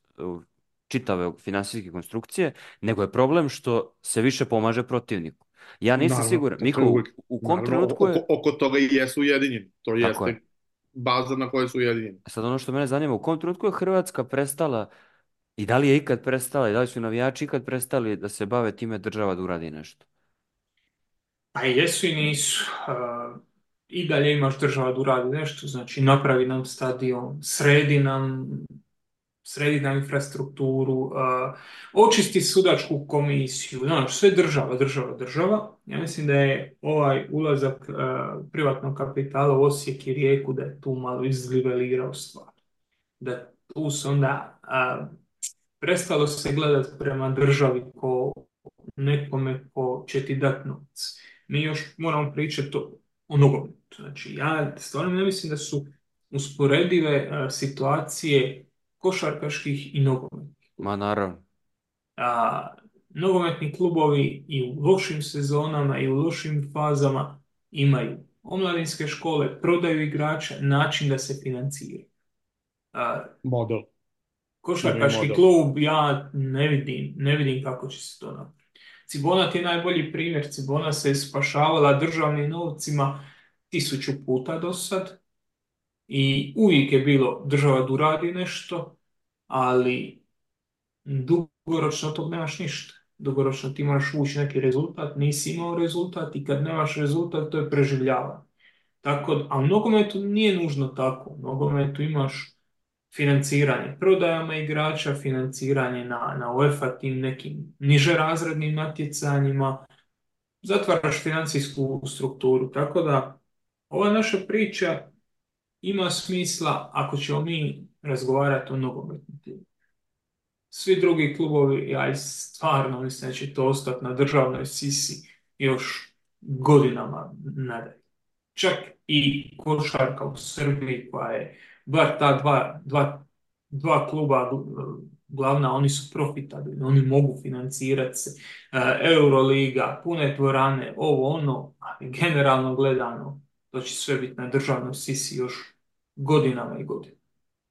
čitave finansijske konstrukcije, nego je problem što se više pomaže protivniku. Ja nisam
Naravno,
siguran.
to je
Miko,
uvek.
u kom
Naravno,
trenutku je...
oko toga i jesu ujedinjeni. To
Tako je.
jeste baza na kojoj su ujedinjeni.
Sad ono što mene zanima, u kom trenutku je Hrvatska prestala i da li je ikad prestala i da li su navijači ikad prestali da se bave time država da uradi nešto?
A jesu i nisu. I dalje imaš država da uradi nešto, znači napravi nam stadion, sredi nam infrastrukturu, očisti sudačku komisiju, znaš, sve država. Ja mislim da je ovaj ulazak privatnog kapitala u Osijek i Rijeku, da je tu malo iznivelirao stvar. Da tu se onda prestalo se gledati prema državi ko nekome ko će ti dati novac. Mi još moramo pričati o nogometu. Znači, ja stvarno ne mislim da su usporedive situacije košarkaških i nogometnih.
Ma naravno.
Nogometni klubovi i u lošim sezonama i u lošim fazama imaju omladinske škole, prodaju igrača, način da se financira.
Model.
Košarkaški klub, ja ne vidim kako će se to napraviti. Cibona ti je najbolji primjer. Cibona se spašavala državnim novcima 1000 puta do sad i uvijek je bilo država da uradi nešto, ali dugoročno od tog nemaš ništa. Dugoročno ti moraš ući neki rezultat, nisi imao rezultat i kad nemaš rezultat to je preživljavanje. Tako, a u nogometu nije nužno tako. U nogometu imaš financiranje prodajama igrača, financiranje na UEFA tim nekim niže razrednim natjecanjima, zatvaraš financijsku strukturu. Tako da ova naša priča ima smisla ako ćemo mi razgovarati o nogometnom klubu. Svi drugi klubovi, ja stvarno mislim da će to ostati na državnoj sisi još godinama nadalje. Čak i košarka u Srbiji koja je bar ta dva kluba glavna, oni su profitabilni, oni mogu financirati se. Euroliga, pune dvorane, ovo ono, ali generalno gledano, to će sve biti na državnoj sisi još godinama i godinama.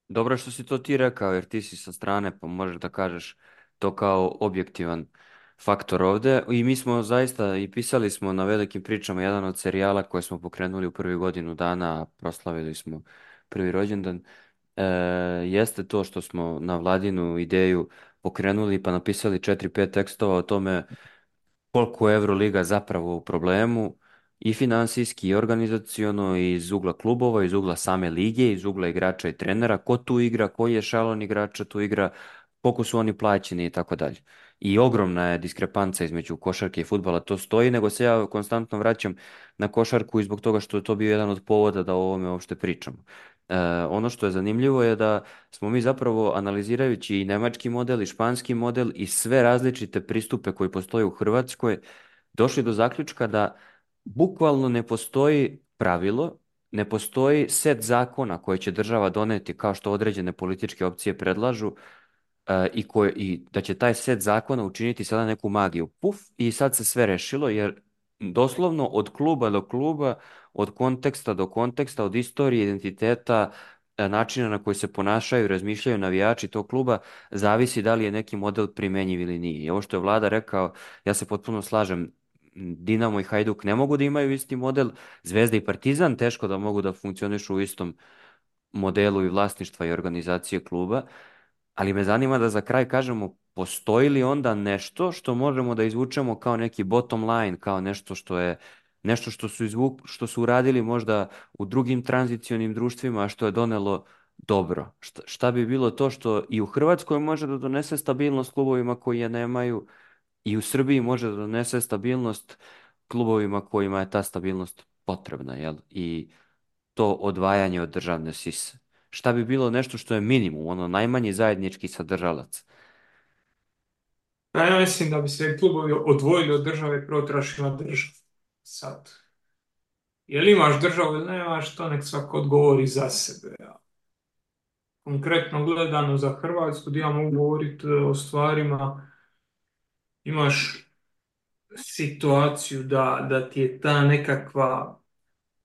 Dobro je što si to ti rekao, jer ti si sa strane, pa možeš da kažeš to kao objektivan faktor ovdje. I mi smo zaista i pisali smo na velikim pričama jedan od serijala koje smo pokrenuli u prvi godinu dana, proslavili smo prvi rođendan. jeste to što smo na vladinu ideju pokrenuli pa napisali 4-5 tekstova o tome koliko je Euroliga zapravo u problemu i financijski i organizaciono i iz ugla klubova, iz ugla same lige, iz ugla igrača i trenera, ko tu igra, koji je šalon igrača tu igra, koliko su oni plaćeni i tako dalje. I ogromna je diskrepanca između košarke i fudbala, to stoji, nego se ja konstantno vraćam na košarku i zbog toga što je to bio jedan od povoda da o ovome uopšte pričamo. Ono što je zanimljivo je da smo mi zapravo analizirajući i nemački model i španski model i sve različite pristupe koji postoje u Hrvatskoj došli do zaključka da bukvalno ne postoji pravilo, ne postoji set zakona koje će država doneti kao što određene političke opcije predlažu i da će taj set zakona učiniti sada neku magiju. Puf, i sad se sve rešilo jer doslovno od kluba do kluba, od konteksta do konteksta, od istorije, identiteta, načina na koji se ponašaju i razmišljaju navijači tog kluba, zavisi da li je neki model primenjiv ili nije. I ovo što je Vlada rekao, ja se potpuno slažem, Dinamo i Hajduk ne mogu da imaju isti model, Zvezda i Partizan teško da mogu da funkcionišu u istom modelu i vlasništva i organizacije kluba, ali me zanima da za kraj kažemo postoji li onda nešto što možemo da izvučemo kao neki bottom line, kao nešto što je nešto što su uradili možda u drugim tranzicionim društvima, a što je donelo dobro. Šta bi bilo to što i u Hrvatskoj može da donese stabilnost klubovima koji je nemaju i u Srbiji može da donese stabilnost klubovima kojima je ta stabilnost potrebna, jel? I to odvajanje od državne sise. Šta bi bilo nešto što je minimum, ono najmanji zajednički sadržalac?
A ja mislim da bi se klubovi odvojili od države i prvo trebaš imati državu. Sad, je li imaš državu ili nemaš, to nek svako odgovori za sebe. Konkretno gledano za Hrvatsku, gdje ja mogu govoriti o stvarima, imaš situaciju da ti je ta nekakva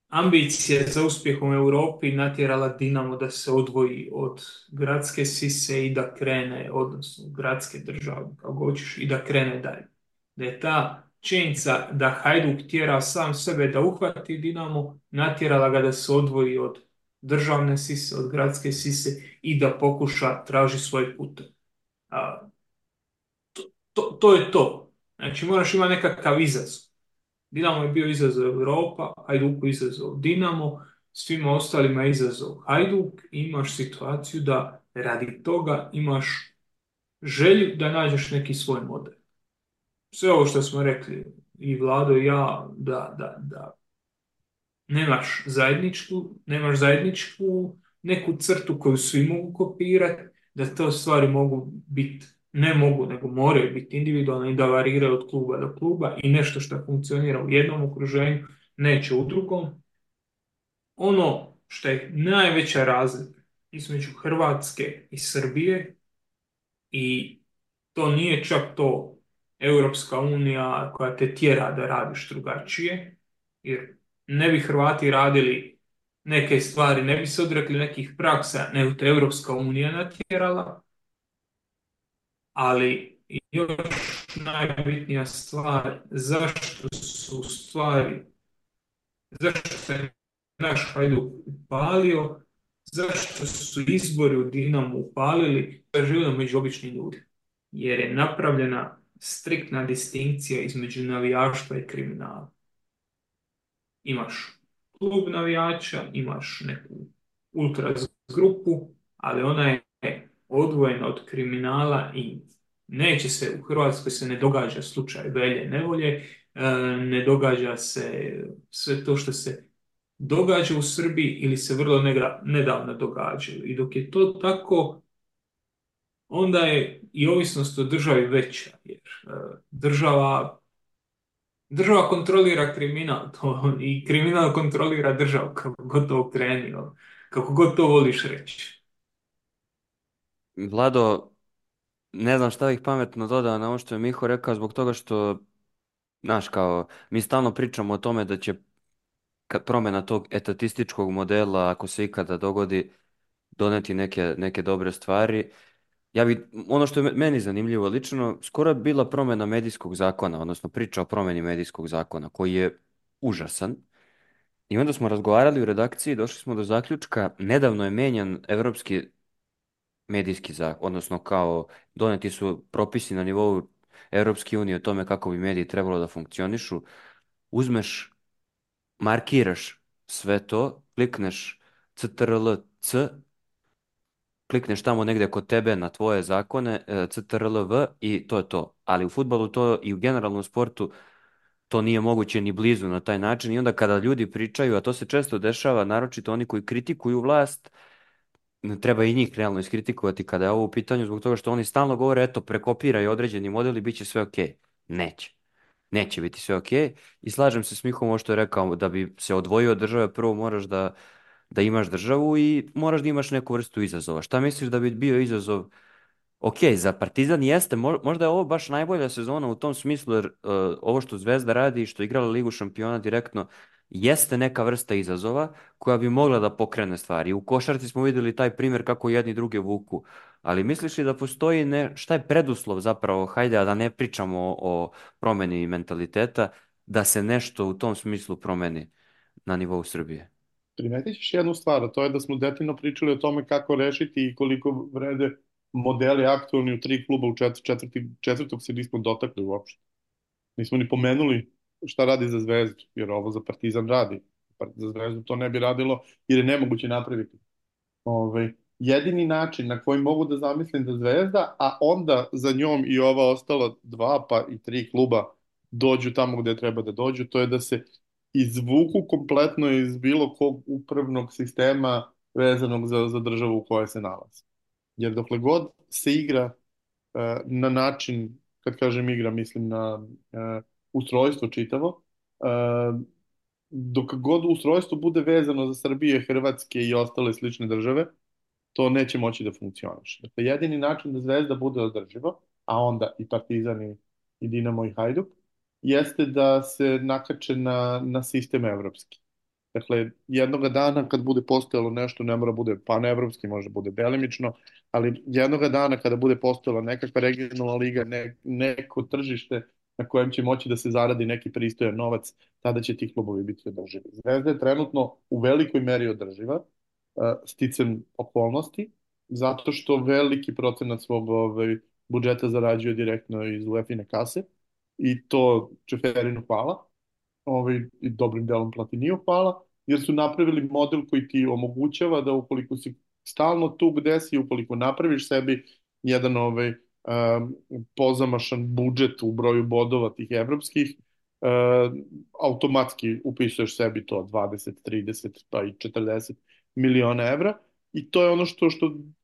ambicija za uspjehom u Europi natjerala Dinamo da se odvoji od gradske sise i da krene, odnosno gradske države, kako hoćeš, i da krene dalje. Da je ta činjenica da Hajduk tjera sam sebe da uhvati Dinamo, natjerala ga da se odvoji od državne sise, od gradske sise i da pokuša traži svoj put. A, to je to. Znači moraš imati nekakav izazov. Dinamo je bio izazov Europa, Hajduku izazov Dinamo, svima ostalima je izazov Hajduk i imaš situaciju da radi toga imaš želju da nađeš neki svoj model. Sve ovo što smo rekli i Vlado i ja, da nemaš zajedničku neku crtu koju svi mogu kopirati, da te stvari mogu biti, ne mogu, nego moraju biti individualne i da variraju od kluba do kluba i nešto što funkcionira u jednom okruženju neće u drugom. Ono što je najveća razlika između Hrvatske i Srbije, i to nije čak to Europska unija koja te tjera da radiš drugačije, jer ne bi Hrvati radili neke stvari, ne bi se odrekli nekih praksa, nego te Europska unija natjerala, ali još najbitnija stvar, zašto se naš Hajduk upalio, zašto su izbori u Dinamu upalili, to je živjelo među običnim ljudima. Jer je napravljena striktna distinkcija između navijaštva i kriminala. Imaš klub navijača, imaš neku ultras grupu, ali ona je odvojena od kriminala i neće se, u Hrvatskoj se ne događa slučaj Velje Nevolje, ne događa se sve to što se događa u Srbiji ili se vrlo nedavno događalo. I dok je to tako, onda je i ovisnost o državi veća, jer država kontrolira kriminal i kriminal kontrolira državu, kako god to okrenio, kako god to voliš reći.
Vlado, ne znam šta bih pametno dodao na ovo što je Miho rekao zbog toga što, znaš, kao, mi stalno pričamo o tome da će kad promjena tog etatističkog modela, ako se ikada dogodi, doneti neke dobre stvari. Ono što je meni zanimljivo lično, skoro je bila promjena medijskog zakona, odnosno priča o promjeni medijskog zakona, koji je užasan. I onda smo razgovarali u redakciji, došli smo do zaključka, nedavno je menjan evropski medijski zakon, odnosno kao doneti su propisi na nivou Evropske unije o tome kako bi mediji trebalo da funkcionišu. Uzmeš, markiraš sve to, klikneš CTRL C, klikneš tamo negdje kod tebe na tvoje zakone, CTRL-V i to je to. Ali u fudbalu to i u generalnom sportu to nije moguće ni blizu na taj način i onda kada ljudi pričaju, a to se često dešava, naročito oni koji kritikuju vlast, treba i njih realno iskritikovati kada je ovo u pitanju zbog toga što oni stalno govore, eto, prekopiraj određeni model i bit će sve ok. Neće. Neće biti sve ok. I slažem se s Mihom ovo što je rekao, da bi se odvojio od države, prvo moraš da imaš državu i moraš da imaš neku vrstu izazova. Šta misliš da bi bio izazov? Ok, za Partizan jeste, možda je ovo baš najbolja sezona u tom smislu, jer ovo što Zvezda radi i što je igrala Ligu šampiona direktno, jeste neka vrsta izazova koja bi mogla da pokrene stvari. U košarci smo vidjeli taj primjer kako jedni druge vuku, ali misliš li da postoji šta je preduslov zapravo, hajde, a da ne pričamo o promeni mentaliteta, da se nešto u tom smislu promeni na nivou Srbije?
Primetit ćeš jednu stvar, a to je da smo detaljno pričali o tome kako rešiti i koliko vrede modeli aktualni u tri kluba u četvrtog se nismo dotakli uopšte. Nismo ni pomenuli šta radi za Zvezdu, jer ovo za Partizan radi. Za Zvezdu to ne bi radilo jer je nemoguće napraviti. Jedini način na koji mogu da zamislim da Zvezda, a onda za njom i ova ostala dva pa i tri kluba dođu tamo gde treba da dođu, to je da se izvuku kompletno iz bilo kog upravnog sistema vezanog za državu u kojoj se nalazi. Jer dokle god se igra na način, kad kažem igra, mislim na ustrojstvo čitavo, dok god ustrojstvo bude vezano za Srbije, Hrvatske i ostale slične države, to neće moći da funkcioniše. Dakle, jedini način da Zvezda bude održiva, a onda i Partizan i Dinamo i Hajduk, jeste da se nakače na sistem evropski. Dakle, jednoga dana kad bude postojalo nešto, ne mora bude panevropski, može bude delimično, ali jednoga dana kada bude postojala nekakva regionalna liga, neko tržište na kojem će moći da se zaradi neki pristojan novac, tada će ti klubovi biti održivi. Zvezda je trenutno u velikoj meri održiva, sticam okolnosti, zato što veliki procenat svog budžeta zarađuje direktno iz UEFA-ine kase i to Čeferinu hvala, i dobrim delom Platiniju hvala, jer su napravili model koji ti omogućava da ukoliko si stalno tu gde si, ukoliko napraviš sebi jedan pozamašan budžet u broju bodova tih evropskih, automatski upisuješ sebi to 20, 30 pa i 40 miliona evra i to je ono što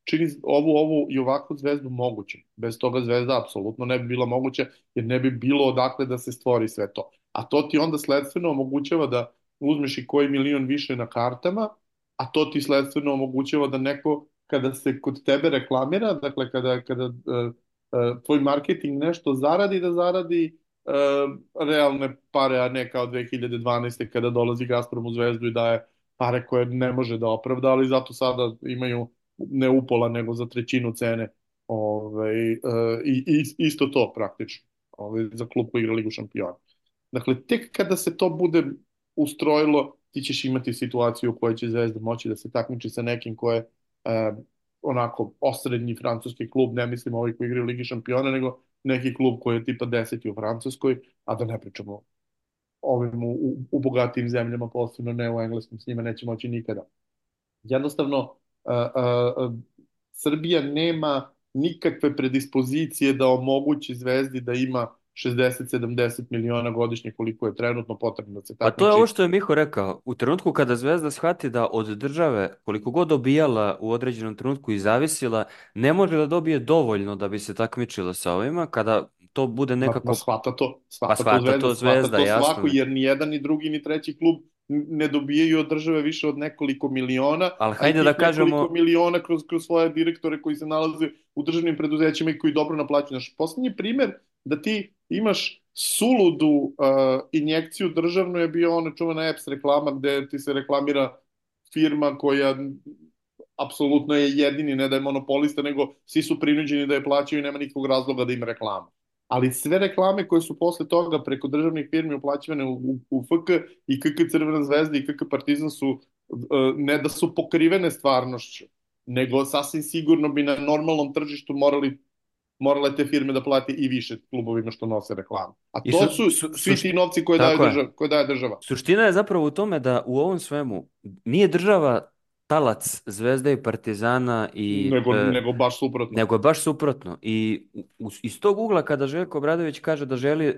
čini ovu i ovakvu Zvezdu moguće. Bez toga Zvezda apsolutno ne bi bila moguća jer ne bi bilo odakle da se stvori sve to. A to ti onda sledstveno omogućava da uzmeš i koji milion više na kartama, a to ti sledstveno omogućava da neko kada se kod tebe reklamira, dakle kada tvoj marketing nešto zaradi, da zaradi realne pare, a ne kao 2012. kada dolazi Gazprom u Zvezdu i daje pare koje ne može da opravda, ali zato sada imaju ne upola, nego za trećinu cene. I isto to praktično za klub koji igra Ligu šampiona. Dakle, tek kada se to bude ustrojilo, ti ćeš imati situaciju u kojoj će Zvezda moći da se takmiči sa nekim ko je onako osrednji francuski klub, ne mislim ovaj koji igra u Ligi šampiona, nego neki klub koji je tipa 10. u Francuskoj, a da ne pričamo ovim u bogatijim zemljama, posebno ne u engleskom, s njima neće moći nikada. Jednostavno, Srbija nema nikakve predispozicije da omogući Zvezdi da ima 60-70 miliona godišnje koliko je trenutno potrebno da se
Pa to je ovo
takmiči.
što je Miho rekao. U trenutku kada Zvezda shvati da od države, koliko god dobijala u određenom trenutku i zavisila, ne može da dobije dovoljno da bi se takmičila sa ovima, kada to bude
Ma
nekako, pa
shvata to
shvata
Zvezda,
to
shvata
Zvezda,
to
jasno
svako,
mi.
jer ni jedan, ni drugi, ni treći klub ne dobijaju od države više od nekoliko miliona,
Ali
a i
hajde da
tih nekoliko
kažemo,
miliona kroz svoje direktore koji se nalaze u državnim preduzećima i koji dobro naplaćuju. Naš poslednji primer da ti imaš suludu injekciju državnu je bio ona čuvena EPS reklama gde ti se reklamira firma koja apsolutno je jedini, ne da je monopolista, nego svi su prinuđeni da je plaćaju i nema nikakvog razloga da im reklama. Ali sve reklame koje su posle toga preko državnih firmi uplaćivane u FK i KK Crvena zvezda i KK Partizan su ne da su pokrivene stvarnošću, nego sasvim sigurno bi na normalnom tržištu morale te firme da plate i više klubovima što nose reklamu. A
I
to su svi ti novci
tako je.
koje daje država.
Suština je zapravo u tome da u ovom svemu nije država talac Zvezde i Partizana
Nego baš suprotno.
nego je baš suprotno. I iz tog ugla kada Željko Obradović kaže da želi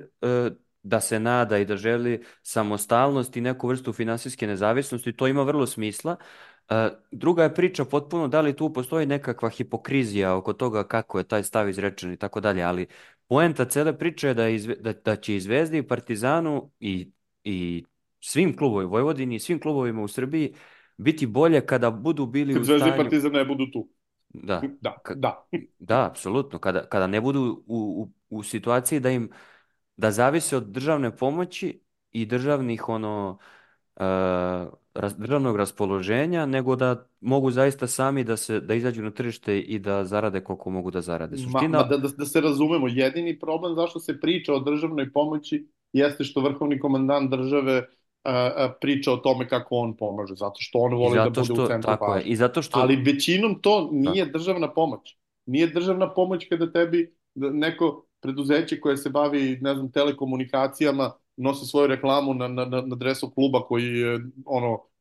da se nada i da želi samostalnost i neku vrstu finansijske nezavisnosti, to ima vrlo smisla. Druga je priča potpuno da li tu postoji nekakva hipokrizija oko toga kako je taj stav izrečen i tako dalje, ali poenta cele priče je da će i Zvezdi i Partizanu i svim klubovima u Vojvodini i svim klubovima u Srbiji biti bolje kada budu bili
Kad
u
Zvezda i
stanju.
Partizan ne budu tu.
Da,
Da,
ka-
da.
da, apsolutno. Kada ne budu u situaciji da zavise od državne pomoći i državnih e, državnog raspoloženja, nego da mogu zaista sami da izađu na tržište i da zarade koliko mogu da zarade.
Ma
Suština,
da se razumemo, jedini problem zašto se priča o državnoj pomoći jeste što vrhovni komandant države priča o tome kako on pomaže, zato što on
i
voli da
zato
bude u
što,
centru
tako je,
pažnje.
i zato što,
Ali većinom to
da,
nije državna pomoć. Nije državna pomoć kada tebi neko preduzeće koje se bavi, ne znam, telekomunikacijama nosi svoju reklamu na dresu kluba koji je,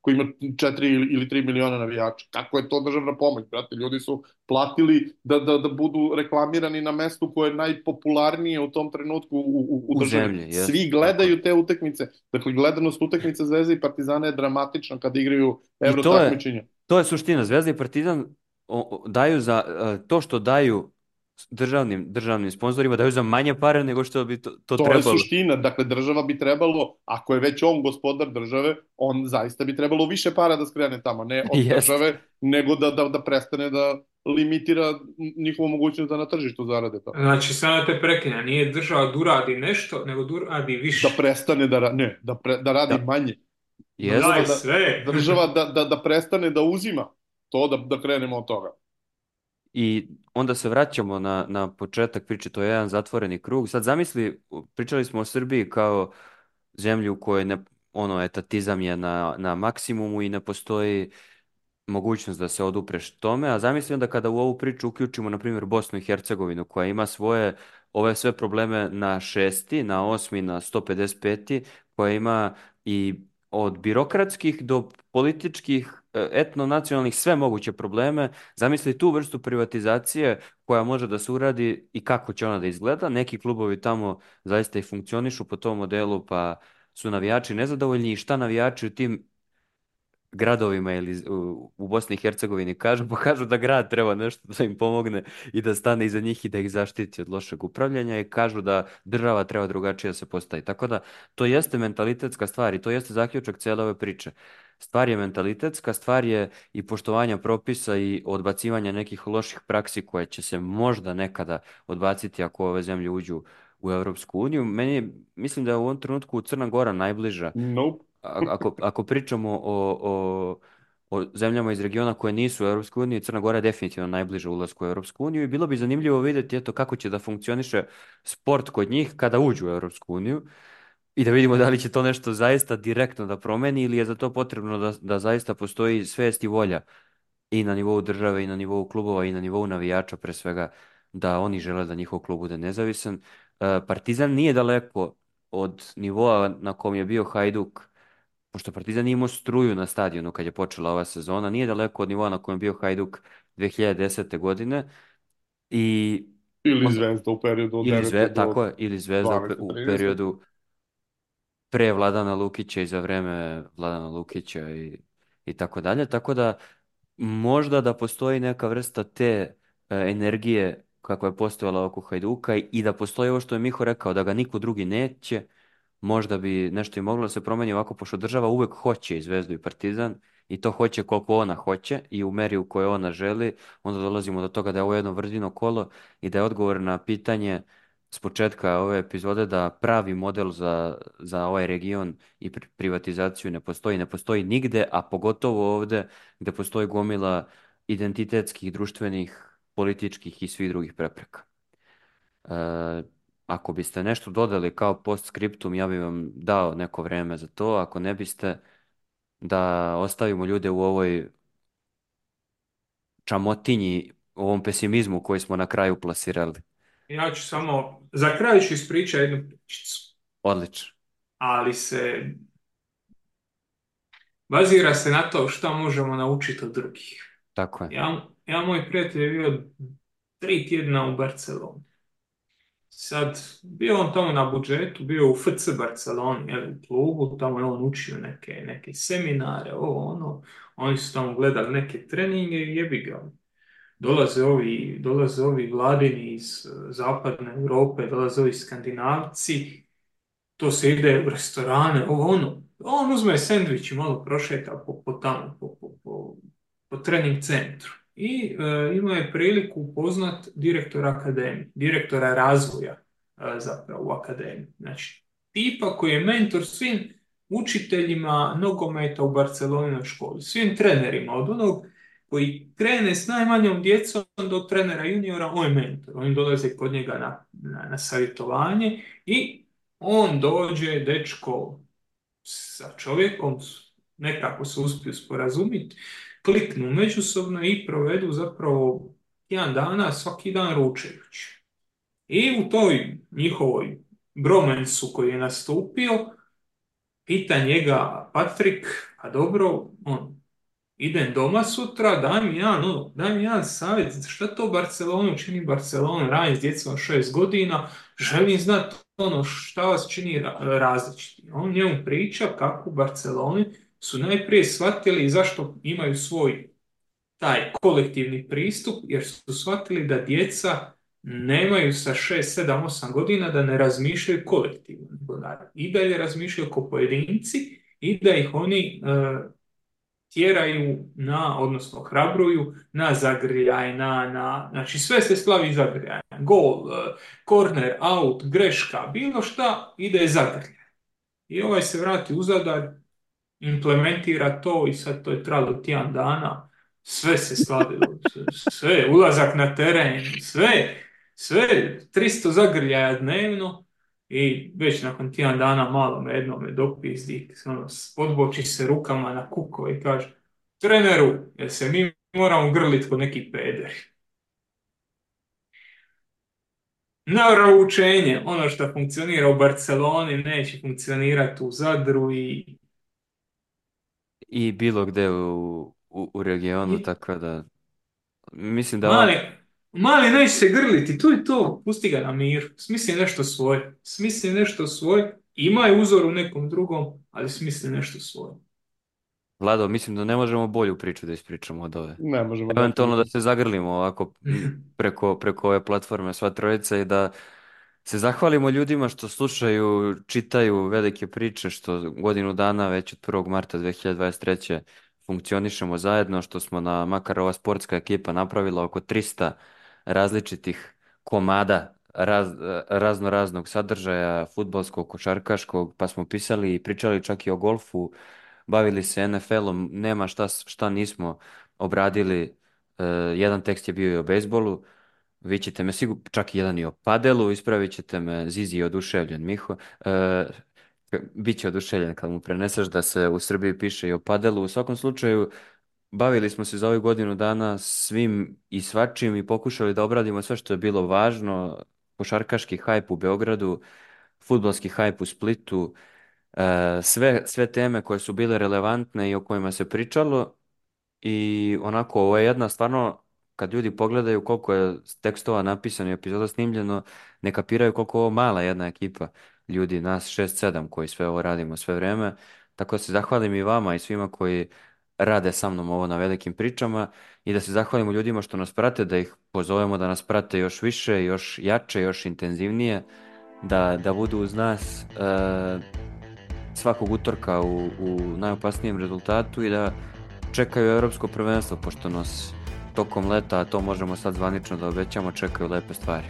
koji ima 4 ili 3 miliona navijača. Kako je to državna pomoć, brate? Ljudi su platili da budu reklamirani na mestu koje je najpopularnije u tom trenutku u
u
državi.
zemlji,
Svi
jest, tako je.
gledaju te utakmice. Dakle, gledanost utakmice Zvezde i Partizana je dramatična kada igraju
I
evro takmičenja.
to je suština. Zvezda i Partizan daju za to što daju državnim sponzorima, daju za manje pare nego što bi to
To je
trebalo.
suština. Dakle, država bi trebalo, ako je već on gospodar države, on zaista bi trebalo više para da skrene tamo, ne od
Jest.
države, nego da prestane da limitira njihovu mogućnost da na tržištu zarade to.
Znači, samo te prekina, nije država da uradi nešto, nego da uradi
Da
više.
prestane ne, da radi
Da,
manje.
Ma
jest.
Država
daj sve.
da prestane da uzima. To da krenemo od toga.
I onda se vraćamo na početak priče, to je jedan zatvoreni krug. Sad zamisli, pričali smo o Srbiji kao zemlji u kojoj etatizam je na maksimumu i ne postoji mogućnost da se odupreš tome, a zamisli onda kada u ovu priču uključimo, na primjer, Bosnu i Hercegovinu, koja ima ove sve probleme na šesti, na osmi, na 155, koja ima i od birokratskih do političkih, etnonacionalnih, sve moguće probleme. Zamisli tu vrstu privatizacije koja može da se uradi i kako će ona da izgleda. Neki klubovi tamo zaista i funkcionišu po tom modelu, pa su navijači nezadovoljni i šta navijači u tim gradovima ili u Bosni i Hercegovini kažu, pa kažu da grad treba nešto da im pomogne i da stane iza njih i da ih zaštiti od lošeg upravljanja i kažu da država treba drugačije da se postavi. Tako da to jeste mentalitetska stvar i to jeste zaključak cijele ove priče. Stvar je mentalitetska, stvar je i poštovanja propisa i odbacivanja nekih loših praksi koje će se možda nekada odbaciti ako ove zemlje uđu u Europsku uniju. Mislim da je u ovom trenutku Crna Gora najbliža.
Nope.
Ako pričamo o zemljama iz regiona koje nisu u Europskoj uniji, Crna Gora je definitivno najbliža ulasku u Europsku uniju i bilo bi zanimljivo vidjeti eto kako će da funkcioniše sport kod njih kada uđu u Europsku uniju i da vidimo da li će to nešto zaista direktno da promeni ili je za to potrebno da zaista postoji svijest i volja i na nivou države i na nivou klubova i na nivou navijača pre svega da oni žele da njihov klub bude nezavisan. Partizan nije daleko od nivoa na kom je bio Hajduk, pošto Partizan nije imao struju na stadionu kad je počela ova sezona, nije daleko od nivoa na kojem je bio Hajduk 2010. godine i
Ili
onda,
Zvezda u periodu od 9. do
tako je, ili Zvezda
12.
u
13.
periodu pre Vladana Lukića i za vreme Vladana Lukića i tako dalje. Tako da možda da postoji neka vrsta te energije kakva je postojala oko Hajduka i da postoji ovo što je Miho rekao, da ga niko drugi neće, možda bi nešto i moglo da se promeni ovako, pošto država uvek hoće i Zvezdu i Partizan i to hoće koliko ona hoće i u meri u kojoj ona želi, onda dolazimo do toga da je ovo jedno vrdino kolo i da je odgovor na pitanje s početka ove epizode da pravi model za ovaj region i privatizaciju ne postoji nigde, a pogotovo ovde gde postoji gomila identitetskih, društvenih, političkih i svih drugih prepreka. E, ako biste nešto dodali kao postscriptum, ja bih vam dao neko vrijeme za to. Ako ne biste, da ostavimo ljude u ovoj čamotinji, u ovom pesimizmu koji smo na kraju plasirali.
Ja ću samo, za kraj ću ispričati jednu pričicu,
Odlično.
ali bazira se na to šta možemo naučiti od drugih.
Tako je.
Ja moj prijatelj je bio 3 tjedna u Barceloni. Sad, bio on tamo na budžetu, bio u FC Barceloni, u klubu, tamo je on učio neke seminare, ono. Oni su tamo gledali neke treninge i jebi ga. Dolaze ovi vladini iz zapadne Europe, dolaze ovi Skandinavci, to se ide u restorane, ono. On uzme sendvič i malo prošeta tamo, po trening centru. I imao je priliku upoznat direktora akademije, direktora razvoja zapravo u akademiji. Znači, tipa koji je mentor svim učiteljima nogometa u Barceloninoj školi, svim trenerima, od onog koji krene s najmanjom djecom do trenera juniora, on je mentor. Oni dolaze kod njega na savjetovanje i on dođe, dečko, sa čovjekom, nekako se uspiju sporazumiti, kliknu međusobno i provedu zapravo jedan dana, svaki dan ručajući. I u toj njihovoj bromansu koji je nastupio, pita njega Patrik, a dobro, idem doma sutra, daj mi jedan savjet, šta to Barcelonu čini Barcelonu, radim s djecom 6 godina, želim znati šta vas čini različiti. On njemu priča kako u Barceloni su najprije shvatili zašto imaju svoj taj kolektivni pristup, jer su shvatili da djeca nemaju sa 6, 7, 8 godina da ne razmišljaju kolektivno, i da je razmišljaju kao pojedinci i da ih oni tjeraju odnosno hrabruju na zagrljaj, znači sve se slavi zagrljaj. Gol, korner, out, greška, bilo šta ide zagrljaj. I ovaj se vrati u Zadar, implementira to i sad to je trajalo tjedan dana, sve se sladilo, sve, ulazak na teren, sve, 300 zagrljaja dnevno i već nakon tjedan dana malo me jednome dopizdi, podboči se rukama na kukove i kaže: treneru, jer se mi moramo grliti kod neki pederi. Neuroučenje, ono što funkcionira u Barceloni, neće funkcionirati u Zadru
I bilo gde u regionu, tako da mislim da
Mali neće se grliti, to je to, pusti ga na miru, smisli nešto svoje, ima je uzor u nekom drugom, ali smisli nešto svoje.
Vlado, mislim da ne možemo bolju priču da ispričamo od ove.
Ne možemo.
Eventualno da se zagrlimo ovako preko ove platforme sva trojica i da se zahvalimo ljudima što slušaju, čitaju velike priče, što godinu dana već od 1. marta 2023. funkcionišemo zajedno, što smo makar ova sportska ekipa napravila oko 300 različitih komada raznog sadržaja, fudbalskog, košarkaškog, pa smo pisali i pričali čak i o golfu, bavili se NFL-om, nema šta nismo obradili. Jedan tekst je bio i o bejsbolu, vi ćete me sigurno, čak i jedan i o padelu, ispravit ćete me, Zizi je oduševljen, Miho, bit će oduševljen kad mu preneseš da se u Srbiji piše i o padelu. U svakom slučaju, bavili smo se za ovih godinu dana svim i svačim i pokušali da obradimo sve što je bilo važno, košarkaški hajp u Beogradu, fudbalski hajp u Splitu, sve teme koje su bile relevantne i o kojima se pričalo. I onako, ovo je jedna stvarno, kad ljudi pogledaju koliko je tekstova napisano i epizoda snimljeno, ne kapiraju koliko je ovo mala jedna ekipa ljudi, nas 6-7 koji sve ovo radimo sve vrijeme. Tako da se zahvalim i vama i svima koji rade sa mnom ovo na velikim pričama i da se zahvalimo ljudima što nas prate, da ih pozovemo da nas prate još više, još jače, još intenzivnije, da budu uz nas svakog utorka u najopasnijem rezultatu i da čekaju europsko prvenstvo, pošto nas tokom leta, a to možemo sad zvanično da obećamo, čekaju lepe stvari.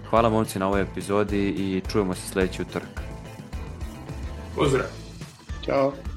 Hvala momci na ovoj epizodi i čujemo se sljedeći utorak.
Pozdrav!
Ćao!